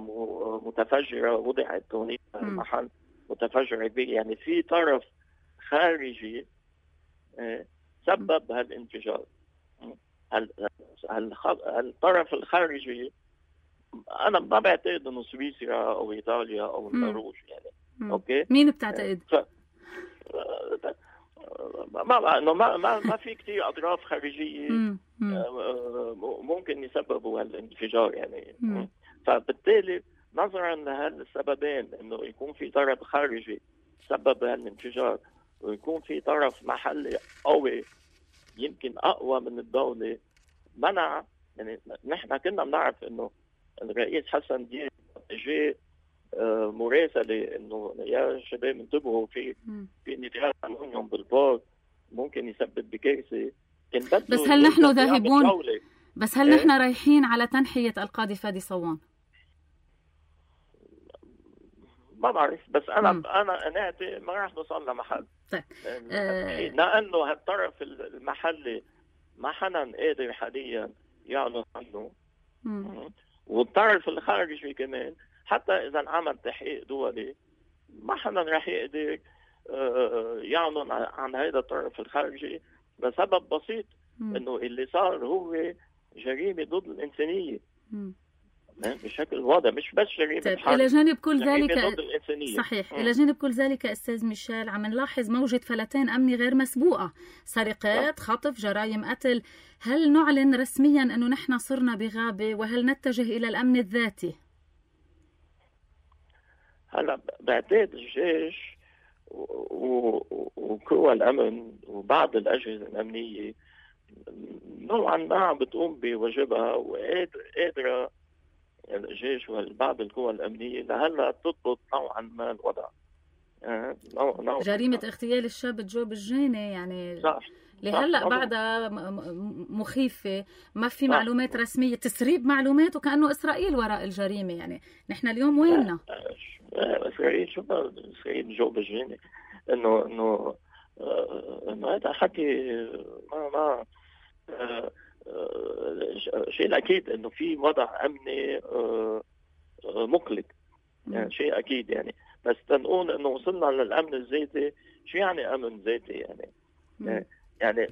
متفجرة وضعت هناك محل متفجرة كبيرة، يعني في طرف خارجي سبب هالانفجار. الطرف الخارجي أنا ما بعتقد إنه سويسرا أو إيطاليا أو النرويج، يعني اوكي مين بتعتقد؟ ما في كتير اطراف خارجيه ممكن يسببوا هالانفجار يعني. فبالتالي نظرا لهالسببين انه يكون في طرف خارجي سبب هالانفجار ويكون في طرف محلي قوي يمكن اقوى من الدوله منع. يعني نحن كنا بنعرف انه الرئيس حسن دياب جاء مراسله انه يا شباب انتبهوا في نتاج امونيوم بالبورت ممكن يسبب بكارثه. بس هل نحن ذاهبون؟ بس هل نحن رايحين على تنحيه القاضي فادي صوان؟ ما بعرف، بس انا قناعتي ما راح نوصل لمحل. طيب لانه هالطرف المحلي ما حدا قادر حاليا يعلن عنه، والطرف الخارجي كمان حتى اذا انعمل تحقيق دولي ما حدا راح يقدر يعلن عن هذا الطرف الخارجي لسبب بسيط، انه اللي صار هو جريمه ضد الانسانيه بشكل واضح، مش بس جريمه حرب. الى جانب كل ذلك صحيح الى جانب كل ذلك استاذ ميشيل عم نلاحظ موجه فلتان امني غير مسبوقه، سرقات، خطف، جرائم قتل. هل نعلن رسميا انه نحن صرنا بغابه وهل نتجه الى الامن الذاتي؟ هلا بعتقد الجيش وقوى الامن وبعض الاجهزه الامنيه نوعا ما بتقوم بواجبها وقادره الجيش وبعض القوى الامنيه لهلا تضبط نوعا ما الوضع. جريمه اغتيال الشاب جو بالجيني يعني صح. لهلا بعدها مخيفه، ما في معلومات رسميه، تسريب معلومات وكانه اسرائيل وراء الجريمه. يعني نحن اليوم ويننا؟ اسرائيل شو اسرائيل جو بالجيني؟ انه هذا حكي ما شيء الاكيد انه في وضع امني مقلق، يعني شيء اكيد يعني. بس تنقول انه وصلنا للامن الذاتي، شو يعني امن ذاتي يعني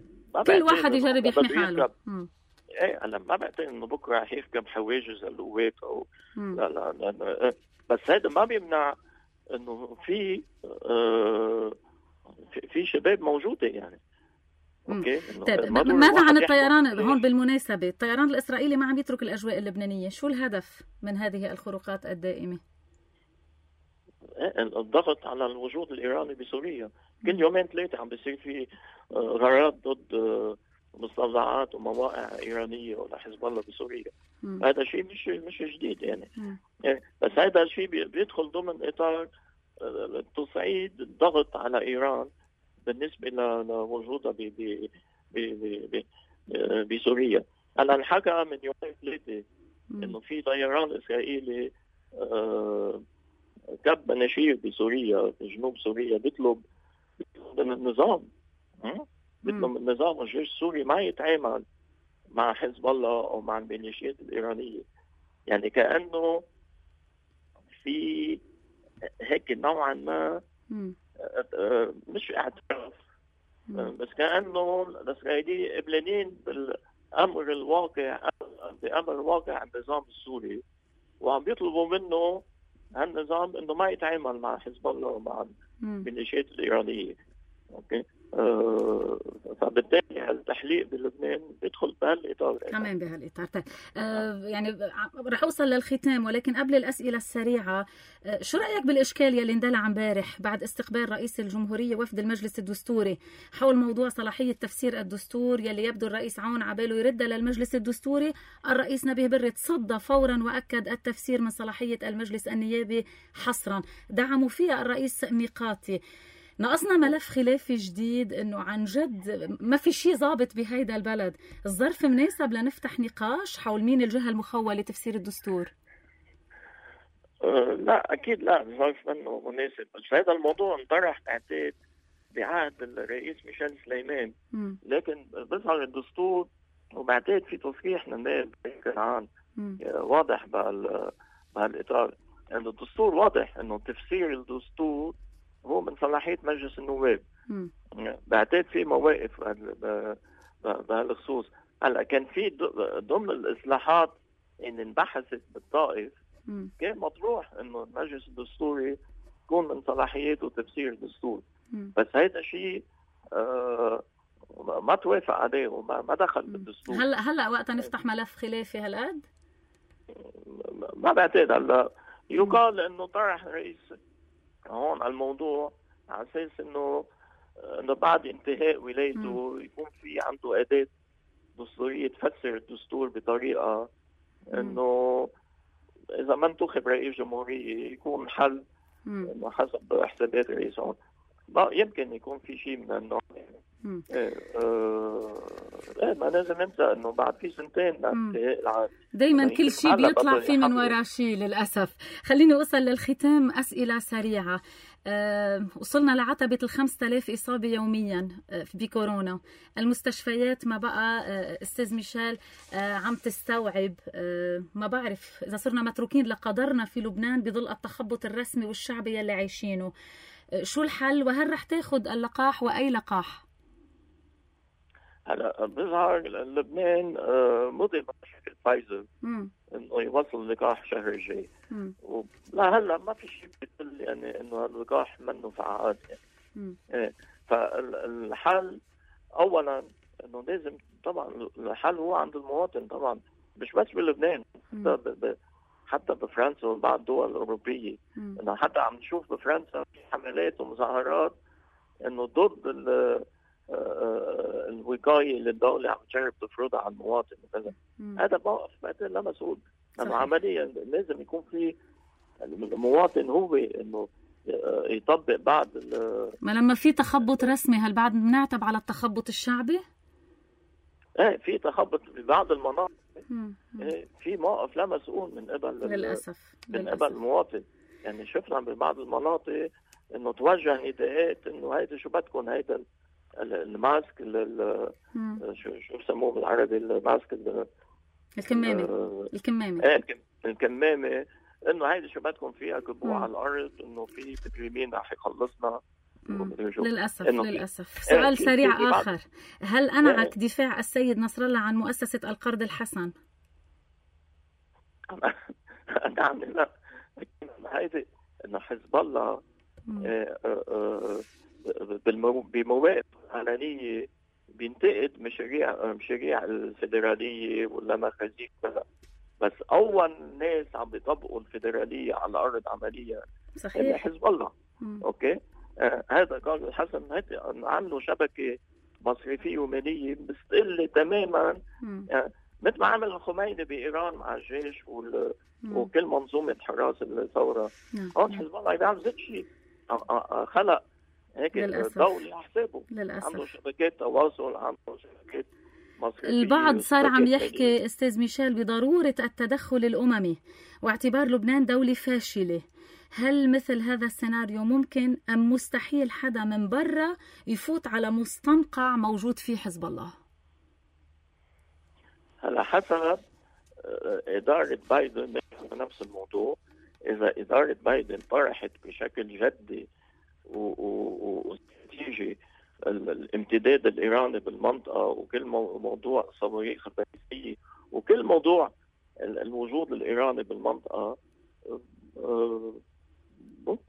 كل واحد يجرب يحمي حاله. ايه انا ما بعتقد انه بكره رح يركب حواجز القوات او لا بس هذا ما بيمنع انه في شباب موجوده يعني. اوكي. طيب ماذا عن الطيران؟ هون بالمناسبه الطيران الاسرائيلي ما عم يترك الاجواء اللبنانيه، شو الهدف من هذه الخروقات الدائمه؟ الضغط على الوجود الايراني بسوريا. كل يومين ثلاثه عم بيصير في غارات ضد مستودعات ومواقع ايرانيه ولا حزب الله بسوريا. هذا شيء مش جديد يعني. بس هذا الشيء بيدخل ضمن اطار تصعيد الضغط على ايران بالنسبه لوجودها بسوريا. هلا انحكى من يومين ثلاثه انه في طيران اسرائيلي كب مناشير بسوريا في جنوب سوريا بيطلب من النظام بيطلب من النظام والجيش السوري ما يتعامل مع حزب الله او مع الميليشيات الايرانيه. يعني كانه في هيك نوعا ما مش اعتراف، بس كانه الاسرائيليين قبلانين بالامر الواقع، بامر واقع النظام السوري، وعم بيطلبوا منه هالنظام انه ما يتعامل مع حزب الله ومع الميليشيات الايرانيه. اوكي. فبالتالي التحليق بلبنان بيدخل بهالاطار كمان بهالاطار. طيب يعني رح اوصل للختام، ولكن قبل الاسئله السريعه شو رايك بالاشكال يلي اندلع امبارح بعد استقبال رئيس الجمهوريه وفد المجلس الدستوري حول موضوع صلاحيه تفسير الدستور يلي يبدو الرئيس عون عباله يردها للمجلس الدستوري؟ الرئيس نبيه بري تصدى فورا واكد التفسير من صلاحيه المجلس النيابي حصرا، دعموا فيها الرئيس ميقاتي. ناقصنا ملف خلافي جديد، انه عن جد ما في شيء ضابط بهيدا البلد. الظرف مناسب لنفتح نقاش حول مين الجهة المخولة لتفسير الدستور؟ لا اكيد لا، الظرف منه مناسب. بس هذا الموضوع انطرح بعتقد بعهد الرئيس ميشيل سليمان، لكن بيظهر الدستور وبعتقد في تصريح من النائب كنعان واضح بهالاطار. يعني الدستور واضح انه تفسير الدستور هو من صلاحية مجلس النواب. بعتقد في مواقف بهالخصوص. هلا كان في ضمن الإصلاحات ان انبحثت بالطائف كان مطروح انه المجلس الدستوري تكون من صلاحياته تفسير الدستور. بس هيدا شيء ما توافق عليه وما دخل بالدستور. هلا وقتا نفتح ملف خلافي هالقد؟ ما بعتقد. هلا يقال انه طرح رئيس هون على الموضوع على اساس انه بعد انتهاء ولايته يكون في عنده اداه دستوريه تفسر الدستور بطريقه انه اذا ما انتخب رئيس جمهوريه يكون حل انه حسب حسابات الرئيس هون. يمكن يكون في شيء من النوع. ما لازم ننسى انه بعد في سنتين لانتهاء العهد. دايما يعني كل شيء بيطلع فيه من وراه شيء للاسف. خليني اوصل للختام. اسئله سريعه. وصلنا لعتبه 5000 اصابه يوميا بكورونا. المستشفيات ما بقى استاذ ميشيل عم تستوعب. ما بعرف اذا صرنا متروكين لقدرنا في لبنان بظل التخبط الرسمي والشعبي يلي عايشينه. شو الحل وهل رح تاخد اللقاح وأي لقاح؟ هلا بظهر لبنان مضي بشكل فايزر انه يوصل اللقاح الشهر الجاي. لهلا ما في شيء بيدل يعني انه اللقاح منه فعال يعني. فالحل اولا انه لازم طبعا الحل هو عند المواطن طبعا مش بس بلبنان حتى بفرنسا وبعض الدول الأوروبية. إنه حتى عم نشوف بفرنسا في حملات ومظاهرات إنه ضد الوقاية اللي الدولة عم تجرب تفرضها على المواطن مثلا. هذا موقف بعتقد لا مسؤول. لأنه عمليا لازم يكون في المواطن هو إنه يطبق بعض ما لما في تخبط رسمي هل بعد بنعتب على التخبط الشعبي؟ في تخبط في بعض المناطق. في موقف لا مسؤول من قبل للأسف قبل المواطن. يعني شفنا ببعض المناطق انه توجه نداءات انه هيدا شو بدكم هيدا الماسك شو بسموه بالعربي الماسك الكمامة انه هيدا شو بدكم فيها كبوه على الارض انه في تكريمين رح يخلصنا. للأسف. سؤال سريع آخر. هل أنعك دفاع السيد نصر الله عن مؤسسة القرض الحسن؟ نعم. لا هيدي انه حزب الله بمواقف علنية بينتقد مشاريع الفيدرالية ولا مخازيق بس أول ناس عم بيطبقوا الفيدرالية على الأرض عمليا صحيح حزب الله. أوكي. هذا قال الحسن عملوا شبكة مصرفية ومالية مستقلة تماما. مثل ما عمل الخميني بإيران مع الجيش وكل منظومة حراس الثورة. هون حزب الله بيعمل ذات شيء. خلق هيك دولة على حسابه. عنده شبكات تواصل، عنده شبكات مصرفية. البعض صار عم يحكي أستاذ ميشيل بضرورة التدخل الأممي واعتبار لبنان دولة فاشلة. هل مثل هذا السيناريو ممكن أم مستحيل حدا من برا يفوت على مستنقع موجود فيه حزب الله؟ هلا حسب إدارة بايدن نفس الموضوع. إذا إدارة بايدن طرحت بشكل جدي واستراتيجي الامتداد الإيراني بالمنطقة وكل موضوع صواريخ الباليستية وكل موضوع الوجود الإيراني بالمنطقة،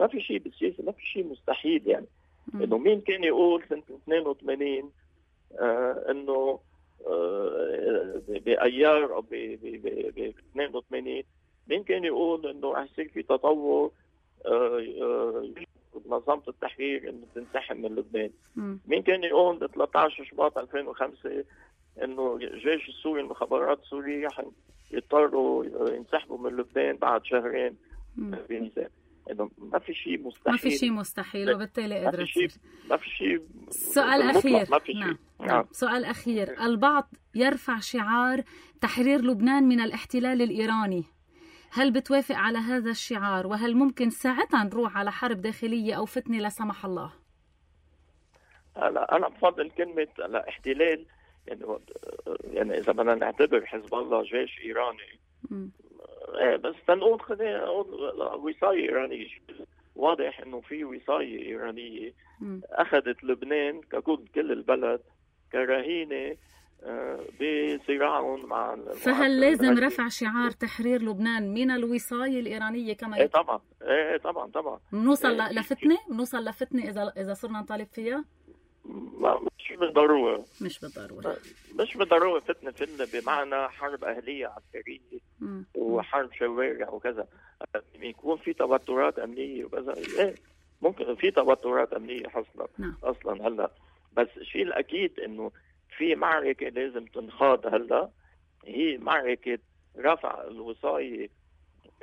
ما في شيء بالسياسة، ما في شيء مستحيل. يعني إنه مين كان يقول سنة 82 إنه بأيار أو ب 82 مين كان يقول إنه رح يصير في تطور منظمة التحرير إنه تنسحب من لبنان؟ مين كان يقول ب 13 شباط 2005 إنه الجيش السوري المخابرات السورية رح يضطروا ينسحبوا من لبنان بعد شهرين بنيسان؟ إنه ما في شيء مستحيل. ما في شيء مستحيل وبالتالي قدرت ما في شيء. سؤال أخير. نعم. سؤال أخير. البعض يرفع شعار تحرير لبنان من الاحتلال الإيراني. هل بتوافق على هذا الشعار وهل ممكن ساعتها نروح على حرب داخلية أو فتنة لا سمح الله؟ أنا بفضل كلمة احتلال. يعني إذا بدنا نعتبر حزب الله جيش إيراني بس تنقول خلينا نقول وصاية إيرانية. واضح إنه في وصاية إيرانية أخذت لبنان ككل البلد كرهينة بصراعهم مع فهل لازم رفع شعار تحرير لبنان من الوصاية الإيرانية كما ايه طبعا، ايه طبعا بنوصل لفتنة إذا صرنا نطالب فيها؟ مش بالضرورة مش بالضرورة فتنة بمعنى حرب أهلية عسكرية وحرب شوارع وكذا. يكون في توترات أمنية وكذا، ايه ممكن في توترات أمنية أصلا هلا، بس الشيء الأكيد إنه في معركة لازم تنخاض هلا، هي معركة رفع الوصاية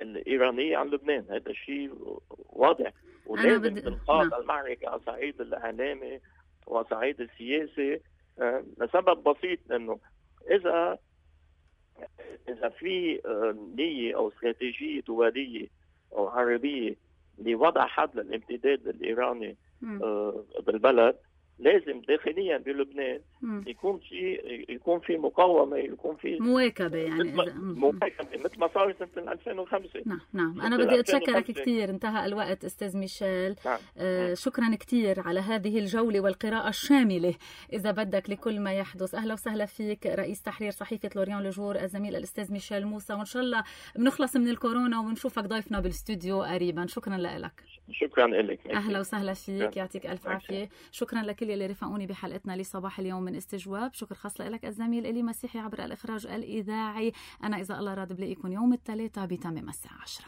الإيرانية عن لبنان. هذا الشيء واضح، ولازم تنخاض المعركة على صعيد الإعلامي وصعيد السياسي، لسبب بسيط، إنه إذا في نية أو استراتيجية دولية أو عربية لوضع حد للامتداد الإيراني بالبلد، لازم داخليا بلبنان يكون في مقاومه، يكون في مواكبه، يعني مواكبه مثل ما صار سنه 2005. نعم انا بدي اتشكرك كثير، انتهى الوقت استاذ ميشيل. شكرا كثير على هذه الجوله والقراءه الشامله اذا بدك لكل ما يحدث. اهلا وسهلا فيك رئيس تحرير صحيفه لوريان لوجور الزميل الاستاذ ميشيل موسى، وان شاء الله بنخلص من الكورونا ونشوفك ضيفنا بالاستوديو قريبا. شكرا لك. شكرا لك. اهلا وسهلا فيك، يعطيك الف عافيه. شكرا لكل اللي رفقوني بحلقتنا لصباح اليوم من استجواب. شكر خاص لك الزميل إلي مسيحي عبر الإخراج الإذاعي. أنا إذا الله راد بلاقيكم يوم الثلاثاء بتمام الساعة 10.